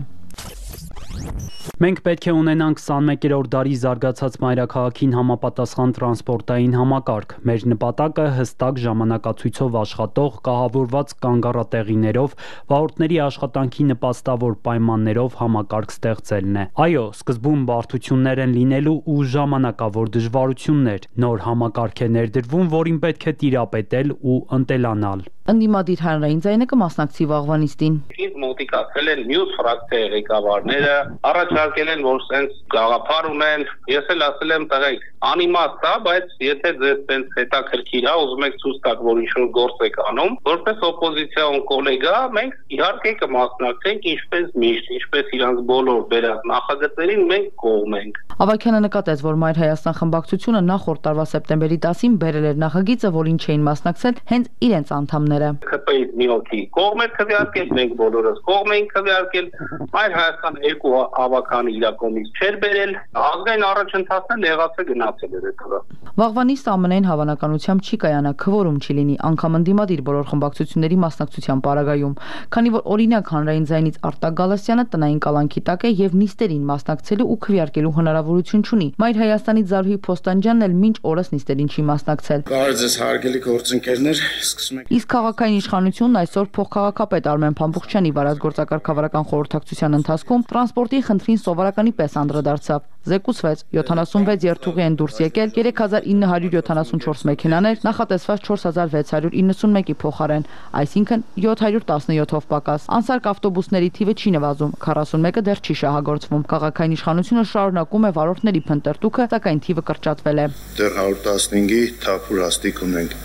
Մենք պետք է ունենանք 21-րդ դարի զարգացած մայրաքաղաքին համապատասխան տրանսպորտային համակարգ։ Մեր նպատակը հստակ ժամանակացույցով աշխատող, կահավորված կանգառատեղիներով, վարորդների աշխատանքի նպաստավոր պայմաններով համակարգ ստեղծելն է։ Այո, սկզբում բարդություններ են լինելու ու ժամանակավոր դժվարություններ։ Նոր համակարգ է ներդրվում, որին պետք է տիրապետել ու ընտելանալ։ Ընդդիմադիր հանրային ձայնը կմասնակցի վաղվա նիստին։ Ինձ մոտիկացել են մյուս ֆրակցիայի ղեկավարները, առաջարկել են, որ սենց գաղափար ունեն, ես էլ ասել եմ տղեկ, անիմաստ է, բայց եթե ձեզ սենց հետաքրքիր է, ուզում եք ցույց տաք, որ ինչ-որ գործ եք անում, որպես օպոզիցիոն կոլեգա, մենք իհարկե կմասնակցենք ինչպես միշտ, ինչպես իրանց բոլոր բերած նախագծերին մենք կողմ ենք։ Ավագյանը նկատեց, որ Մայր Հայաստան խմբակցությունը նախորդ տարվա սեպտեմբերի 10-ին բերել էր նախագիծը, որին չէին մասնակցել հենց իրենց անդամները։ ԿՊ-ից մի օքի կողմ էր քվեարկել, մենք բոլորս կողմ էինք քվեարկել, Մայր Հայաստան երկու ավականի իր կողմից չէր բերել, ազգային առաջընթացն եղածը գնացել էր հետո։ Վաղվա նիստը ամենայն հավանականությամբ չի կայանա, քվորում չի լինի, անգամ ընդդիմադիր բոլոր խմբակցությունների մասնակցության պարագայում, քանի որ օրինակ հանրային ձայնից Արտակ Գալստյանը տնային կալանքի տակ է եւ նիստերին մասնակցելու ու քվեարկելու հնարավորություն չունի։ Մայր Հայաստանից Զարուհի Փոստանջյանն էլ մինչ օրս նիստերին չի մասնակցել։ Բարև ձեզ հարգելի գործընկերներ, սկսում ենք։ Իսկ քաղաքային իշխանությունն այսօր փոխքաղաքապետ Արմեն Փամփուխչյանի վարած գործակարգավարական խորհրդակցության ընթացքում տրանսպորտի խնդրին սովորականի պես անդրադարձավ։ Զեկուցվեց 76 երթուղի են դուրս եկել, 3974 մեքենաներ, նախատեսված 4691-ի փոխարեն, այսինքն 717-ով պակաս։ Անսարք ավտոբուսների թիվը չի նվազում, 41-ը դեռ չի շահագործվում։ Քաղաքային իշխանությունը շարունակում է վարորդների փնտրտուքը, սակայն թիվը կրճատվել է։ Դեռ 115-ի թափուր հաստիկ ունենք։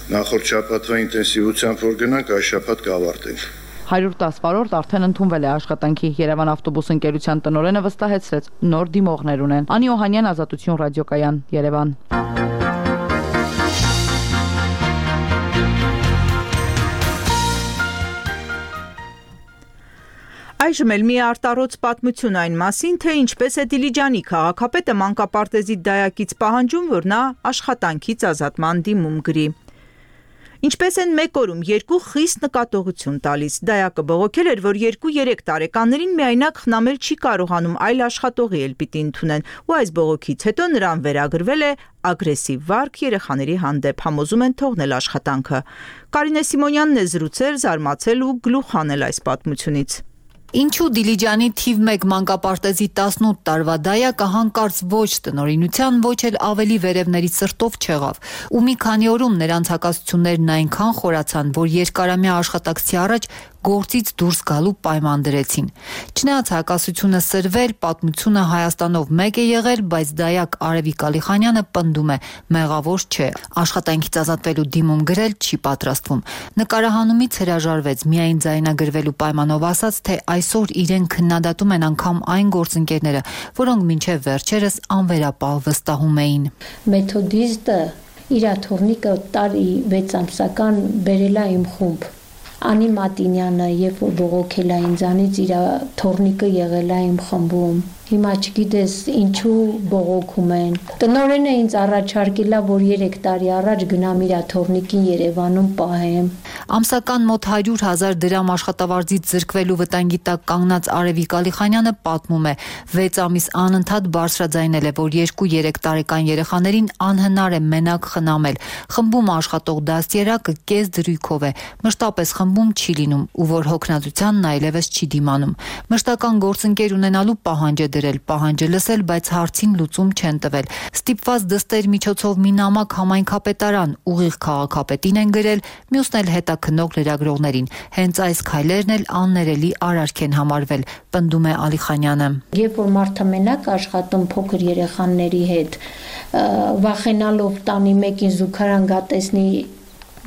Նախորդ շաբաթվա ինտենսիվությամբ որ գնանք, այս շաբաթ կավարտենք։ 110 վարորդ արդեն ընդունվել է աշխատանքի։ Երևան ավտոբուս ընկերության տնօրենը վստահեցրեց, նոր դիմողներ ունեն։ Անի Օհանյան, Ազատություն ռադիոկայան, Երևան։ Այժմ էլ մի արտառոց պատմություն այն մասին, թե ինչպես է Դիլիջանի քաղաքապետը մանկապարտեզի դայակից պահանջում, որ նա աշխատանքից ազատման դիմում գրի։ Ինչպես են մեկ օրում երկու խիստ նկատողություն տալիս։ Դայակը բողոքել էր, որ 2-3 տարեկաններին միայնակ խնամել չի կարողանում, այլ աշխատողի էլ պիտի ընդունեն, ու այս բողոքից հետո նրան վերագրվել է ագրեսիվ վարք երեխաների հանդեպ, համոզում են թողնել աշխատանքը։ Կարինե Սիմոնյանն է զրուցել, զարմացել ու գլուխ հանել այս պատմությունից։ Ինչու Դիլիջանի թիվ 1 մանկապարտեզի 18 տարվա դայակը հանկարծ ոչ տնօրինության, ոչ էլ ավելի վերևների սրտով չեղավ, ու մի քանի օրում նրանց հակասություններն այնքան խորացան, որ երկարամյա աշխատակցի առաջ գործից դուրս գալու պայման դրեցին։ Չնայած հակասությունը սրվել, պատմությունը Հայաստանով մեկ է եղել, բայց դայակ Արևիկ Ալիխանյանը պնդում է, մեղավոր չէ, աշխատանքից ազատվելու դիմում գրել չի պատրաստվում։ Նկարահանումից հրաժարվեց, միայն ձայնագրվելու պայմանով ասաց, թե այսօր իրեն քննադատում են անգամ այն գործընկերները, որոնք մինչև վերջերս անվերապահ վստահում էին։ Մեթոդիստը իր թորնիկը տարի 6 ամսական բերել է իմ խումբ։ Անի Մատինյանը, երբ որ բողոքել է ինձանից, իր թորնիկը եղել է իմ խմբում։ Հիմա չգիտես ինչու բողոքում են։ Տնօրենը ինձ առաջարկել է, որ 3 տարի առաջ գնամ իր թորնիկին Երևանում պահեմ։ Ամսական մոտ 100,000 դրամ աշխատավարձից զրկվելու վտանգի տակ կանգնած Արևիկ Ալիխանյանը պատմում է, 6 ամիս անընդհատ բարձրաձայնել է, որ 2-3 տարեկան երեխաներին անհնար է մենակ խնամել։ Խմբում աշխատող դաստիարակը կես դրույքով է, մշտապես խմբում չի լինում, ու որ հոգնածությանն այլևս չի դիմանում։ Մշտական գործընկեր ունենալու պահանջ է դրել, պահանջը լսել, բայց հարցին լուծում չեն տվել։ Ստիպված դստեր միջոցով մի նամակ համայնքապետարան ուղիղ քաղաքապետին են գրել, մյուսն էլ հետաքննող լրագրողներին։ Հենց այս քայլերն էլ աններելի արարք են համարվել, պնդում է Ալիխանյանը։ Երբ որ մարդը մենակ աշխատում փոքր երեխաների հետ, վախենալով տանի մեկին զուգարան գտեսնի,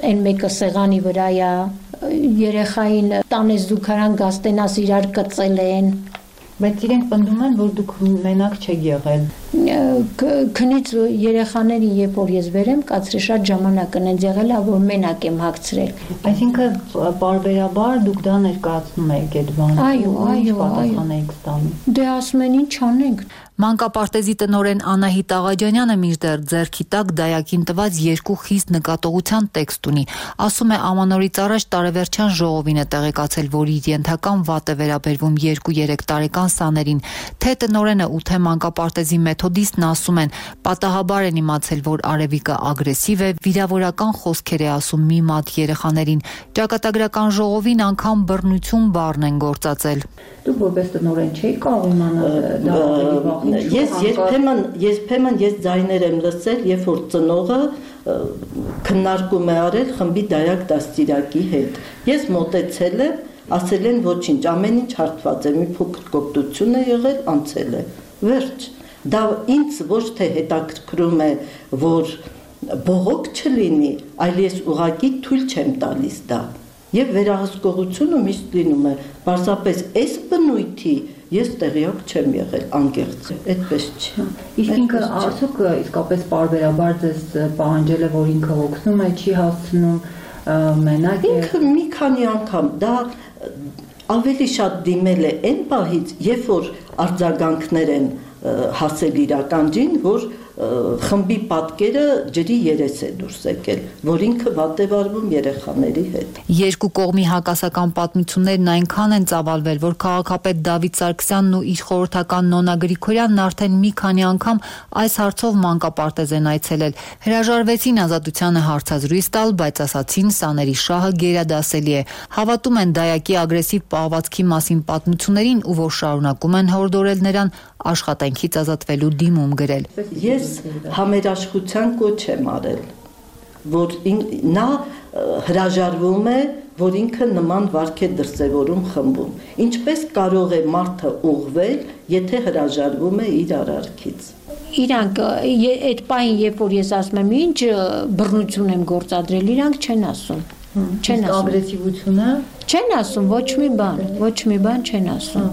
այն մեկը սեղանի վրա է, երեխային տանես զուգարան գաստենաս իրար կծել են։ Բայց իրենք պնդում են, որ դուք մենակ չեք եղել։ Քնից երեխաներին, երբ որ ես վերեմ, կացրի շատ ժամանակ ընենց եղել է, որ մենակ եմ հագցրել։ Այսինքն պարբերաբար դուք դա ներկայացնում եք այդ բանը։ Այո։ Դե ասում են ինչ անենք։ Մանկապարտեզի տնօրեն Անահիտ Աղաջանյանը մինչդեռ ձեռքի տակ դայակին տված 2 խիստ նկատողության տեքստ ունի։ Ասում է ամանորից առաջ տարեվերջյան ժողովին է տեղեկացել, որ իր ենթական վատ է վերաբերվում 2-3 տարեկան սաներին։ Թե տնօրենը ու թե մանկապարտեզի մեթոդիստն ասում են, պատահաբար են իմացել, որ Արևիկը ագրեսիվ է, վիրավորական խոսքեր է ասում մի մատ երեխաներին։ Ճակատագրական ժողովին անգամ բռնություն բառն են գործածել։ Դուք որպես տնօրեն չէի կարող իմանալ դա ավելի վաղ։ Ես երբեմն ձայներ եմ լսել, երբ որ ծնողը քննարկում է արել խմբի դայակ դաստիարակի հետ։ Ես մոտեցել եմ, ասել են ոչինչ, ամեն ինչ հարթված է, մի փոքր կոպտություն է եղել, անցել է։ Վերջ։ Դա ինձ ոչ թե հետաքրքրում է, որ բողոք չլինի, այլ ես ուղղակի թույլ չեմ տալիս դա։ Եվ վերահսկողությունը միշտ լինում է, պարզապես այս բնույթի ես տեղյակ չեմ եղել, անկեղծ է, այդպես չի։ Իսկ ինքը ասուկ իսկապես պարբերաբար ձեզ պահանջել է, որ ինքը օգնում է, չի հասցնում, մենակ է։ Ինքը մի քանի անգամ դա ավելի շատ դիմել է այն պահից, երբ որ արձագանքներ են հասել իր ականջին, որ խմբի պատկերը ջրի երես է դուրս եկել, որ ինքը վատ է վարվում երեխաների հետ։ Երկու կողմի հակասական պատմություններն այնքան են ծավալվել, որ քաղաքապետ Դավիթ Սարգսյանն ու իր խորհրդական Նոնա Գրիգորյանն արդեն մի քանի անգամ այս հարցով մանկապարտեզ են այցելել։ Հրաժարվեցին ազատությանը հարցազրույց տալ, բայց ասացին սաների շահը գերադասելի է։ Հավատում են դայակի ագրեսիվ պահվածքի մասին պատմություններին ու որ շարունակում են հորդորել նրան աշխատանքից ազատվելու դիմում գրել։ Ես համերաշխության կոչ եմ արել, որ նա հրաժարվում է, որ ինքը նման վարք է դրսևորում խմբում։ Ինչպես կարող է մարդը ուղղվել, եթե հրաժարվում է իր արարքից։ Իրանք այդ պահին, երբ որ ես ասում եմ, ինչ բռնություն եմ գործադրել, իրանք չեն ասում։ Չեն ասում ագրեսիվությունը։ Չեն ասում ոչ մի բան չեն ասում։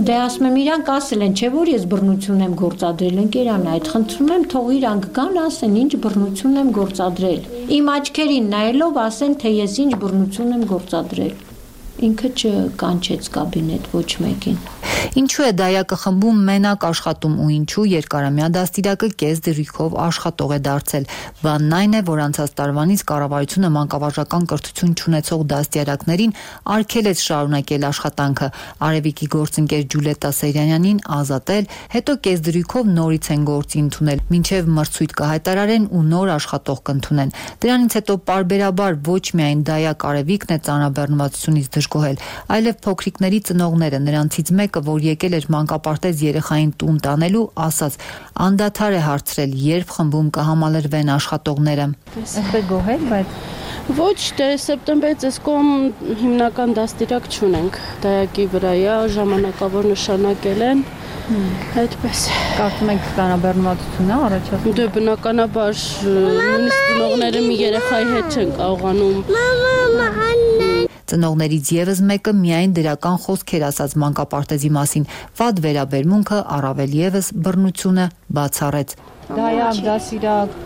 Դե ասում եմ, իրանք ասել են, չէ՞ որ ես բռնություն եմ գործադրել, ընկերանա, այդ խնդրում եմ, թող իրանք գան, ասեն, ինչ բռնություն եմ գործադրել։ Իմ աչքերին նայելով ասեն, թե ես ինչ բռնություն եմ գործադրել։ ինքը չկանչեց կաբինետ ոչ մեկին։ Ինչու է դայակը խմբում մենակ աշխատում ու ինչու երկարամյա դաստիարակը կես դրույքով աշխատող է դարձել։ Բանն այն է, որ անցած տարվանից կառավարությունը մանկավարժական կրթություն չունեցող դաստիարակներին արգելեց շարունակել աշխատանքը։ Արևիկի գործընկեր Ջուլետա Սեյրանյանին ազատել, հետո կես դրույքով նորից են գործի ընդունել, մինչև մրցույթ կհայտարարեն ու նոր աշխատող կընդունեն։ Դրանից հետո պարբերաբար ոչ միայն դայակ Արևիկն է ծանրաբեռնվածությունից դժգոհել, այլև փոքրիկների ծնողները, նրանցից մեկը, որ եկել էր մանկապարտեզ երեխային տուն տանելու, ասաց, անդադար է հարցրել, երբ խմբում կհամալրվեն աշխատողները։ Այսպես գոհել, բայց ոչ, սեպտեմբերից այս կողմ հիմնական դաստիարակ չունենք։ Դայակի վրայա ժամանակավոր նշանակել են։ Այդպես։ Կարծում եք ծանրաբեռնվածություն է առաջացնում։ Դե բնականաբար նույնիսկ ծնողները մի երեխայի հետ չեն կարողանում։ Ծնողներից եւս մեկը միայն դրական խոսքեր ասաց մանկապարտեզի մասին, վատ վերաբերմունքը առավել եւս բռնությունը բացառեց։ Դայակ, դասիրակ,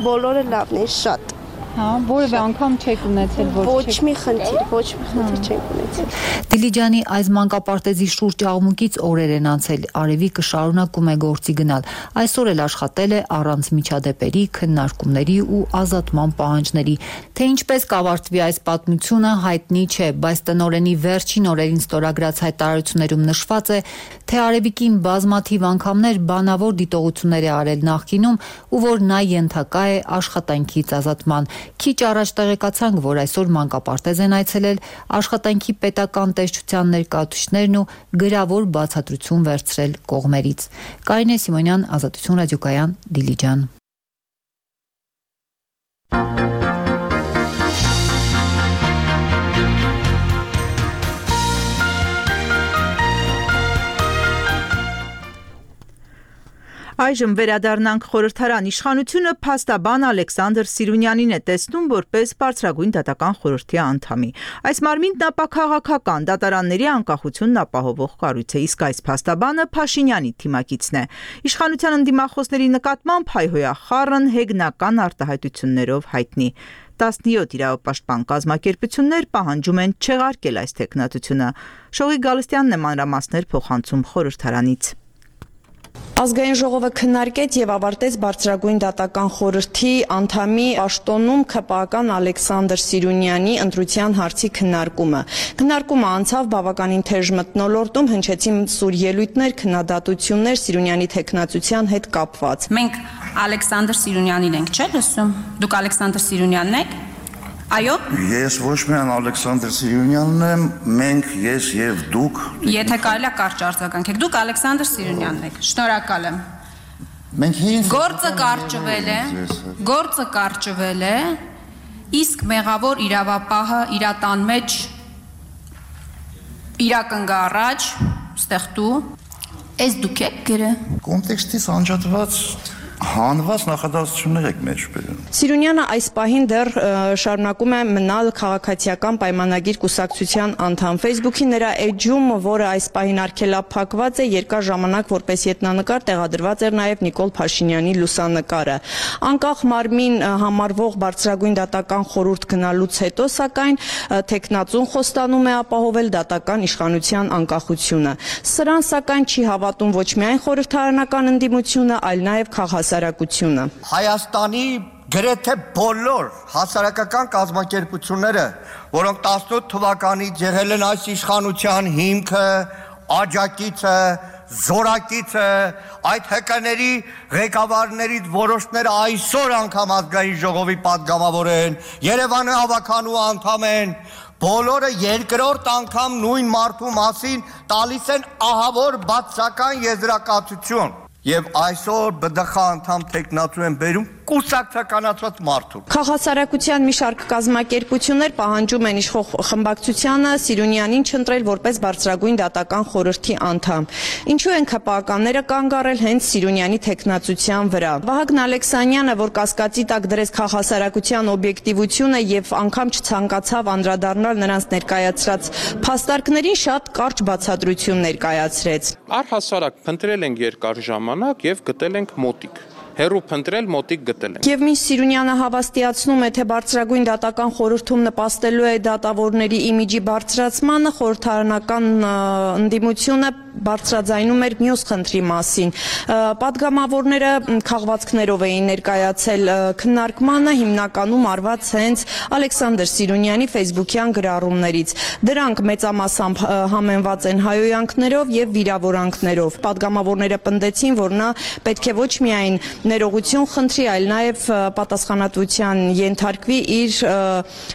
բոլորը լավն են, շատ։ Հա, որևէ անգամ չեք ունեցել, ոչ մի խնդիր չենք ունեցել։ Դիլիջանի այս մանկապարտեզի շուրջ աղմուկից օրեր են անցել, Արևիկը շարունակում է գործի գնալ։ Այսօր էլ աշխատել է առանց միջադեպերի, քննարկումների ու ազատման պահանջների։ Թե ինչպես կավարտվի այս պատմությունը հայտնի չէ, բայց տնօրենի վերջին օրերին ստորագրած հայտարարություններում նշված է, թե Արևիկին բազմաթիվ անգամներ բանավոր դիտողություններ է արել նախկինում ու որ նա ենթակա է աշխատանքից ազատման։ Քիչ առաջ տեղեկացանք, որ այսօր մանկապարտեզ են այցելել աշխատանքի պետական տեսչության ներկայացուցիչներն ու գրավոր բացատրություն վերցրել կողմերից։ Կարինե Սիմոնյան, Ազատություն ռադիոկայան, Դիլիջան։ Այժմ վերադառնանք խորհրդարան։ Իշխանությունը փաստաբան Ալեքսանդր Սիրունյանին է տեսնում որպես բարձրագույն դատական խորհրդի անդամի։ Այս մարմինն ապաքաղաքական դատարանների անկախությունն ապահովող կառույց է, իսկ այս փաստաբանը Փաշինյանի թիմակիցն է։ Իշխանության ընդդիմախոսների նկատմամբ հայհոյախառն հեգնական արտահայտություններով հայտնի։ 17 իրավապաշտպան կազմակերպություններ պահանջում են չեղարկել այս թեկնածությունը։ Շողիկ Գալստյանն է մանրամասներ փոխանցում խորհրդարանից։ Ազգային ժողովը քննարկեց եւ ավարտեց բարձրագույն դատական խորհրդի անդամի պաշտոնում ՔՊԱ-ական Ալեքսանդր Սիրունյանի ընտրության հարցի քննարկումը։ Քննարկումը անցավ բավականին թեժ մթնոլորտում, հնչեցին սուր ելույթներ, քննադատություններ Սիրունյանի թեկնածության հետ կապված։ Մենք Ալեքսանդր Սիրունյանին ենք, չէ՞ լսում։ Դուք Ալեքսանդր Սիրունյանն եք։ Այո։ Ես ոչ միայն Ալեքսանդր Սիրունյանն եմ, մենք ես եւ դուք։ Եթե կարելի է կարճ արձագանքեք, դուք Ալեքսանդր Սիրունյանն եք։ Շնորհակալ եմ։ Մենք հին Գործը կարճվել է, իսկ մեղավոր իրավապահը իր տան մեջ իրակնգա առաջ, ստեղ դու, ես դուք եք գրը։ Կոնտեքստից անջատված հանված նախադասություններ եք մեջ բերում։ Սիրունյանը այս պահին դեռ շարունակում է մնալ քաղաքացիական պայմանագիր կուսակցության անդամ։ Facebook-ի նրա էջում, որը այս պահին արգելափակված է, երկար ժամանակ որպես ետնանկար տեղադրված էր նաև Նիկոլ Փաշինյանի լուսանկարը։ Անկախ մարմին համարվող բարձրագույն դատական խորհուրդ գնալուց հետո, սակայն թեկնածուն խոստանում է ապահովել դատական իշխանության անկախությունը։ Սրան սակայն չի հավատում ոչ միայն խորհրդարանական ընդդիմությունը, այլ նաև հասարակությունը։ Հայաստանի գրեթե բոլոր հասարակական կազմակերպությունները, որոնք 18 թվականից եղել են այս իշխանության հիմքը, աջակիցը, զորակիցը, այդ հեկաների ղեկավարներից որոշները այսօր անգամ ազգային ժողովի պատգամավոր են, Երևանի հավաքանու անդամ են, բոլորը երկրորդ անգամ նույն մարդու մասին տալիս են ահավոր բացական եզրակացություն։ Եվ այսօր ԲԴԽ անդամ թեկնածու են բերում կուսակցականացված մարդու։ Քաղաքասարակության մի շարք կազմակերպություններ պահանջում են իշխող խմբակցությանը Սիրունյանին չընտրել որպես բարձրագույն դատական խորհրդի անդամ։ Ինչու են ՔՊԱ-ականները կանգ առել հենց Սիրունյանի թեկնածության վրա։ Վահագն Ալեքսանյանը, որ կասկածի տակ դրեց քաղաքասարակության օբյեկտիվությունը եւ անգամ չցանկացավ անդրադառնալ նրանց ներկայացրած փաստարկներին, շատ կարճ բացատրություն ներկայացրեց։ Առհասարակ փնտրել ենք երկար ժամանակ եւ գտել ենք մոտիկ։ հերու փնտրել մոտիկ գտել ենք։ Եվ մինչ Սիրունյանը հավաստիացնում է, թե բարձրագույն դատական խորհրդում նպաստելու է դատավորների իմիջի բարձրացմանը, խորհրդարանական ընդդիմությունը բարձրաձայնում էր մյուս խնդրի մասին։ Պատգամավորները քաղվածքներով էին ներկայացել քննարկմանը, հիմնականում արված հենց Ալեքսանդր Սիրունյանի ֆեյսբուքյան գրառումներից։ Դրանք մեծամասամբ համեմված են հայհոյանքներով եւ վիրավորանքներով։ Պատգամավորները պնդեցին, որ նա պետք է ոչ միայն ներողություն խնդրի, այլ նաեւ պատասխանատվության ենթարկվի իր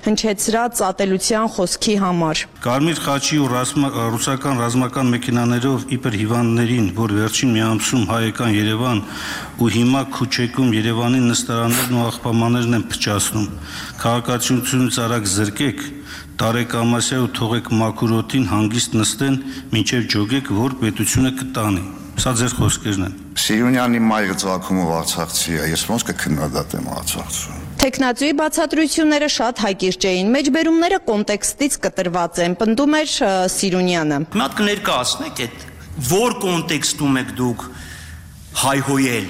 հնչեցրած ատելության խոսքի համար։ Կարմիր խաչի ու ռուսական ռազմական մեքենաներով իբր հիվանդներին, որ վերջին մի ամսում հայկական Երևան ու հիմա Քուչեքում Երևանի նստարաններն ու աղբամաներն են փչացնում։ Քաղաքացիությունից արագ զրկեք, տարեք ամասյա ու թողեք մաքուրոտին հանգիստ նստեն, մինչև ջոգեք, որ պետությունը կտանի։ Սա ձեր խոսքերն են։ Սիրունյանի մայրը ծագումով արցախցի է, ես ոնց կքննադատեմ Արցախցուն։ Տեխնացուի բացատրությունները շատ հայկիրճ էին, մեջբերումները կոնտեքստից կտրված են, պնդում էր Սիրունյանը։ Մի հատ կներկայացնեք այդ որ կոնտեքստում եք դուք հայհոյել։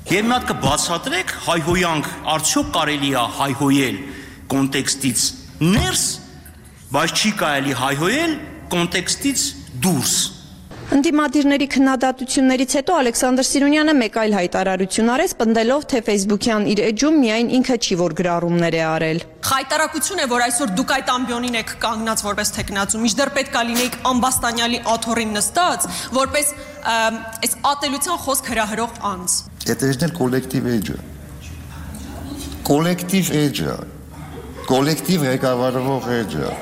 Եվ մի հատ կբացատրեք հայհոյանք, արդյոք կարելի է հայհոյել կոնտեքստից ներս, բայց չի կարելի հայհոյել կոնտեքստից դուրս։ Ընդդիմադիրների քննադատություններից հետո Ալեքսանդր Սիրունյանը մեկ այլ հայտարարություն արեց, պնդելով, թե ֆեյսբուքյան իր էջում միայն ինքը չի, որ գրառումներ է արել։ Խայտարակություն է, որ այսօր դուք այդ ամբիոնին եք կանգնած որպես տեխնացու, մինչդեռ պետք է լինեիք Ամբաստանյալի աթոռին նստած, որպես այս ատելության խոսք հրահրող անձ։ Это же коллектив էջը։ Коллектив էջը։ Коллектив ղեկավարվող էջը։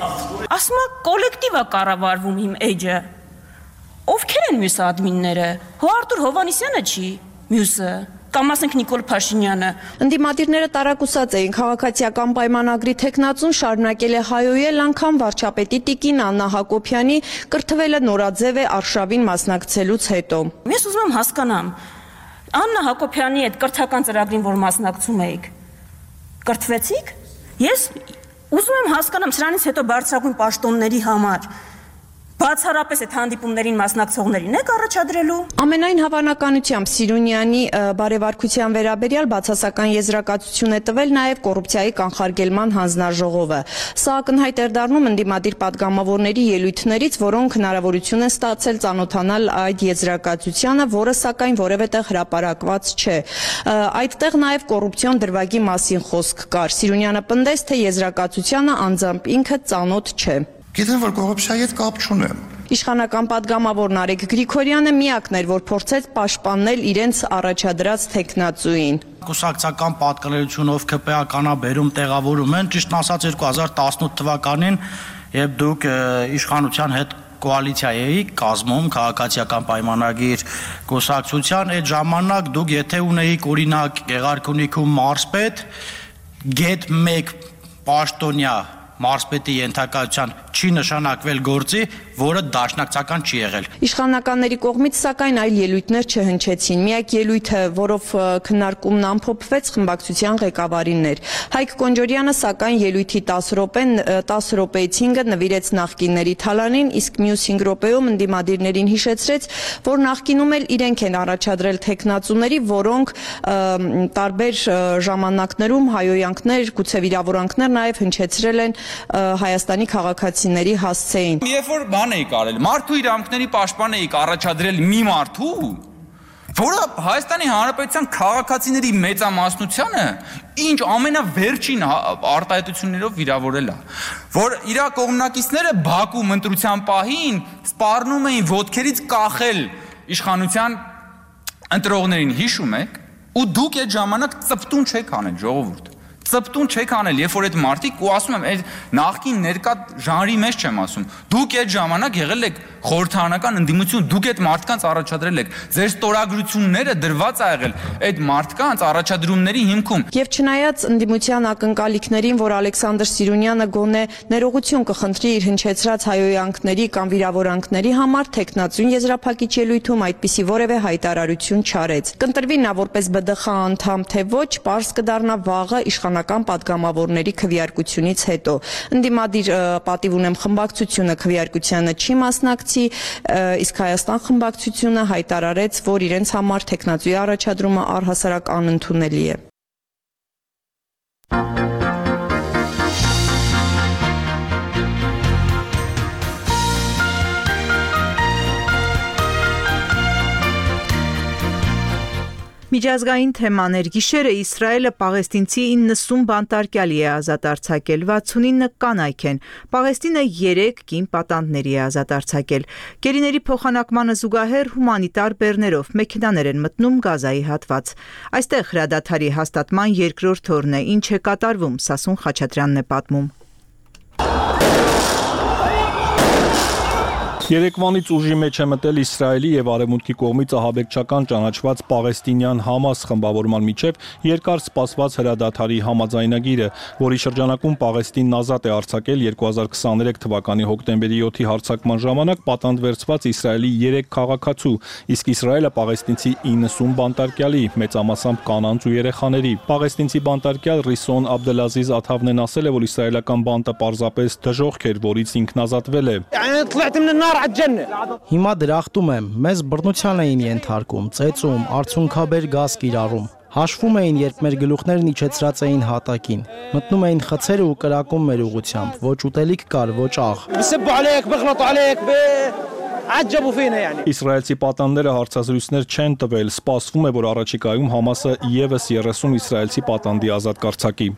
Ասում է կոլեկտիվը կառավարվում իմ էջը։ Ովքեր են մյուս ադմինները։ Արտուր Հովանեսյանը չի, մյուսը, կամ ասենք Նիկոլ Փաշինյանը։ Ընդդիմադիրները տարակուսած էին քաղաքացիական պայմանագրի տեխնացուն շարունակել է հայոյել անգամ վարչապետի տիկին Աննա Հակոբյանի կրթվելը նորաձև է արշավին մասնակցելուց հետո։ Ես ուզում եմ հասկանամ, Աննա Հակոբյանի այդ կրթական ծրագրին, որ մասնակցում էիք, կրթվեցիք։ Ես ուզում եմ հասկանամ սրանից հետո բարձրագույն պաշտոնների համար բացառապես այդ հանդիպումներին մասնակցողներին եք առաջադրելու։ Ամենայն հավանականությամբ Սիրունյանի բարևարկության վերաբերյալ բացասական եզրակացություն է տվել նաև կոռուպցիայի կանխարգելման հանձնաժողովը։ Սա ակնհայտ էր դառնում ընդդիմադիր պատգամավորների ելույթներից, որոնք հնարավորություն են ստացել ծանոթանալ այդ եզրակացությանը, որը սակայն որևէտեղ հրապարակված չէ։ Այդտեղ նաև կոռուպցիոն դրվագի մասին խոսք կար։ Սիրունյանը պնդեց, թե եզրակացությանը անձամբ ինքը ծանոթ չէ։ Գիտեմ, որ կոռուպցիայի հետ կապ չունեմ։ Իշխանական պատգամավոր Նարեկ Գրիգորյանը միակն էր, որ փորձեց պաշտպանել իրենց առաջադրած տեխնացուին։ Կուսակցական պատկանելությունով ԿՊԱ-կանաբերում տեղավորում են, ճիշտ ասած 2018 թվականին, երբ դուք իշխանության հետ կոալիցիա էիք կազմում քաղաքացիական պայմանագիր կուսակցության, այդ ժամանակ դուք եթե ունեիք օրինակ Գեղարքունիքում մարզպետ, գետ 1 պաշտոնյա մարզպետի ենթակայության չի նշանակվել գործի, որը դաշնակցական չի եղել։ Իշխանականների կողմից սակայն այլ ելույթներ չհնչեցին։ Միակ ելույթը, որով քննարկումն ամփոփվեց, խմբակցության ղեկավարին էր։ Հայկ Կոնջորյանը սակայն ելույթի 10 րոպեից 5-ը նվիրեց նախկինների թալանին, իսկ մյուս 5 րոպեում ընդդիմադիրներին հիշեցրեց, որ նախկինում էլ իրենք են առաջադրել տեխնացուների, որոնք տարբեր ժամանակներում հայոյանքներ, գուցե վիրավորանքներ նաև հնչեցրել են Հայաստանի քաղաքացիների հասցեին։ Երբ որ բան էի կարել, մարդու իրավունքների պաշտպան էի առաջադրել մի մարդու, որը Հայաստանի Հանրապետության քաղաքացիների մեծամասնությանը ինչ ամենավերջին արտահայտություններով վիրավորել է, որ իր կողմնակիցները Բաքու ընտրության պահին սպառնում էին ոտքերից կախել իշխանության ընտրողներին, հիշում եք, ու դուք այդ ժամանակ ծպտուն չեք անել, ժողովուրդ։ Ծպտուն չեք անել, երբ որ այդ մարդիկ ու ասում եմ, այդ նախկին ներկա ժանրի մեջ չեմ ասում։ Դուք այդ ժամանակ եղել եք խորհրդարանական ընդդիմություն, դուք այդ մարդկանց առաջադրել եք։ Ձեր ստորագրությունները դրված ա եղել այդ մարդկանց առաջադրումների հիմքում։ Եվ չնայած ընդդիմության ակնկալիքներին, որ Ալեքսանդր Սիրունյանը գոնե ներողություն կխնդրի իր հնչեցրած հայոյանքների կամ վիրավորանքների համար, տեխնացուն եզրափակիչ ելույթում այդպիսի որևէ հայտարարություն չարեց։ Կընտրվի նա որպես ԲԴԽ անդամ, թե ոչ, պարզ կդառնա վաղը իշխանական պատգամավորների քվեարկությունից հետո։ Ընդդիմադիր պատիվ ունեմ խմբակցությունը քվեարկությանը չի մասնակցի, այդպիսի, իսկ Հայաստան խմբակցությունը հայտարարեց, որ իրենց համար թեկնածուի առաջադրումը առհասարակ անընդունելի է։ Միջազգային թեմաներ գիշերը Իսրայելը պաղեստինցի 90 բանտարկյալի է ազատ արձակել, 69 կանայք են։ Պաղեստինը 3 կին պատանդների է ազատ արձակել։ Գերիների փոխանակմանը զուգահեռ հումանիտար բեռներով մեքենաներ են մտնում Գազայի հատված։ Այստեղ հրադադարի հաստատման երկրորդ օրն է, ինչ է կատարվում, Սասուն Խաչատրյանն է պատմում։ Երեկվանից ուժի մեջ է մտել Իսրայելի եւ Արևմուտքի կողմից ահաբեկչական ճանաչված պաղեստինյան Համաս խմբավորման միջև երկար սպասված հրադադարի համաձայնագիրը, որի շրջանակում Պաղեստինն ազատ է արձակել 2023 թվականի հոկտեմբերի 7-ի հարձակման ժամանակ պատանդ վերցված Իսրայելի 3 քաղաքացու, իսկ Իսրայելը պաղեստինցի 90 բանտարկյալի, մեծամասամբ կանանց ու երեխաների։ Պաղեստինցի բանտարկյալ Ռիսոն Աբդելազիզ Աթավնեն ասել է, որ իսրայելական բանտը պարզապես դժոխք էր, որից ինքն ազատվել է։ Հիմա դրախտում եմ, մեզ բռնության էին ենթարկում, ծեծում, արցունքաբեր գազ կիրառում։ Հաշվում էին, երբ մեր գլուխներն իջեցրած էին հատակին։ Մտնում էին խցերը ու կրակում մեր ուղությամբ, ոչ ուտելիք կար, ոչ աղ։ Իսրայելցի պատանդները հարցազրույցներ չեն տվել, սպասվում է, որ առաջիկայում Համասը ևս 30 իսրայելցի պատանդի ազատ կարձակի։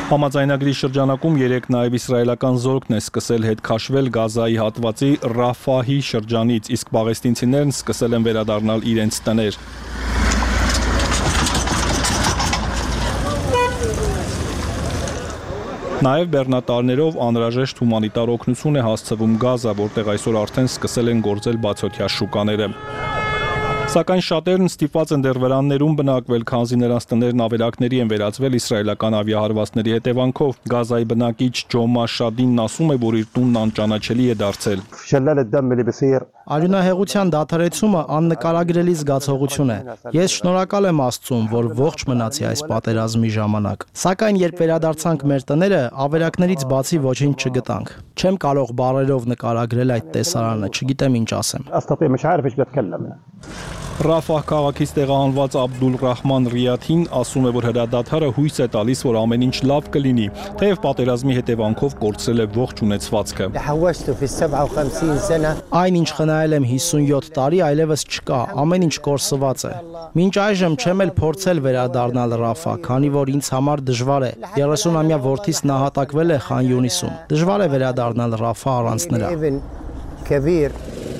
Համաձայնագրի շրջանակում 3 նաև իսրայելական զորքն է սկսել հետ քաշվել Գազայի հատվածի Ռաֆահի շրջանից, իսկ պաղեստինցիներն սկսել են վերադառնալ իրենց տներ։ Նաև բեռնատարներով անհրաժեշտ հումանիտար օգնություն է հասցվում Գազա, որտեղ այսօր արդեն սկսել են գործել բացօթյա շուկաները։ Սակայն շատերն ստիպված են դեռ վրաններում բնակվել, քանզի նրանց տներն ավերակների են վերածվել իսրայելական ավիահարվածների հետևանքով։ Գազայի բնակիչ Ջոմա Շադինն ասում է, որ իր տունն անճանաչելի է դարձել։ Արյունահեղության դադարեցումը աննկարագրելի զգացողություն է։ Ես շնորհակալ եմ Աստծուն, որ ողջ մնացի այս պատերազմի ժամանակ։ Սակայն երբ վերադարձանք մեր տները, ավերակներից բացի ոչինչ չգտանք։ Չեմ կարող բառերով նկարագրել այդ տեսարանը, չգիտեմ ինչ ասեմ։ Ռաֆահ քաղաքից տեղահանված Աբդուլ Ռահման Ռիաթին ասում է, որ հրադադարը հույս է տալիս, որ ամեն ինչ լավ կլինի, թեև պատերազմի հետևանքով կորցրել է ողջ ունեցվածքը։ Այն ինչ խնայել եմ 57 տարի, այլևս չկա, ամեն ինչ կորսված է։ Մինչ այժմ չեմ էլ փորձել վերադառնալ Ռաֆա, քանի որ ինձ համար դժվար է։ 30-ամյա որդիս նահատակվել է Խան Յունիսում։ Դժվար է վերադառնալ Ռաֆա առանց նրա։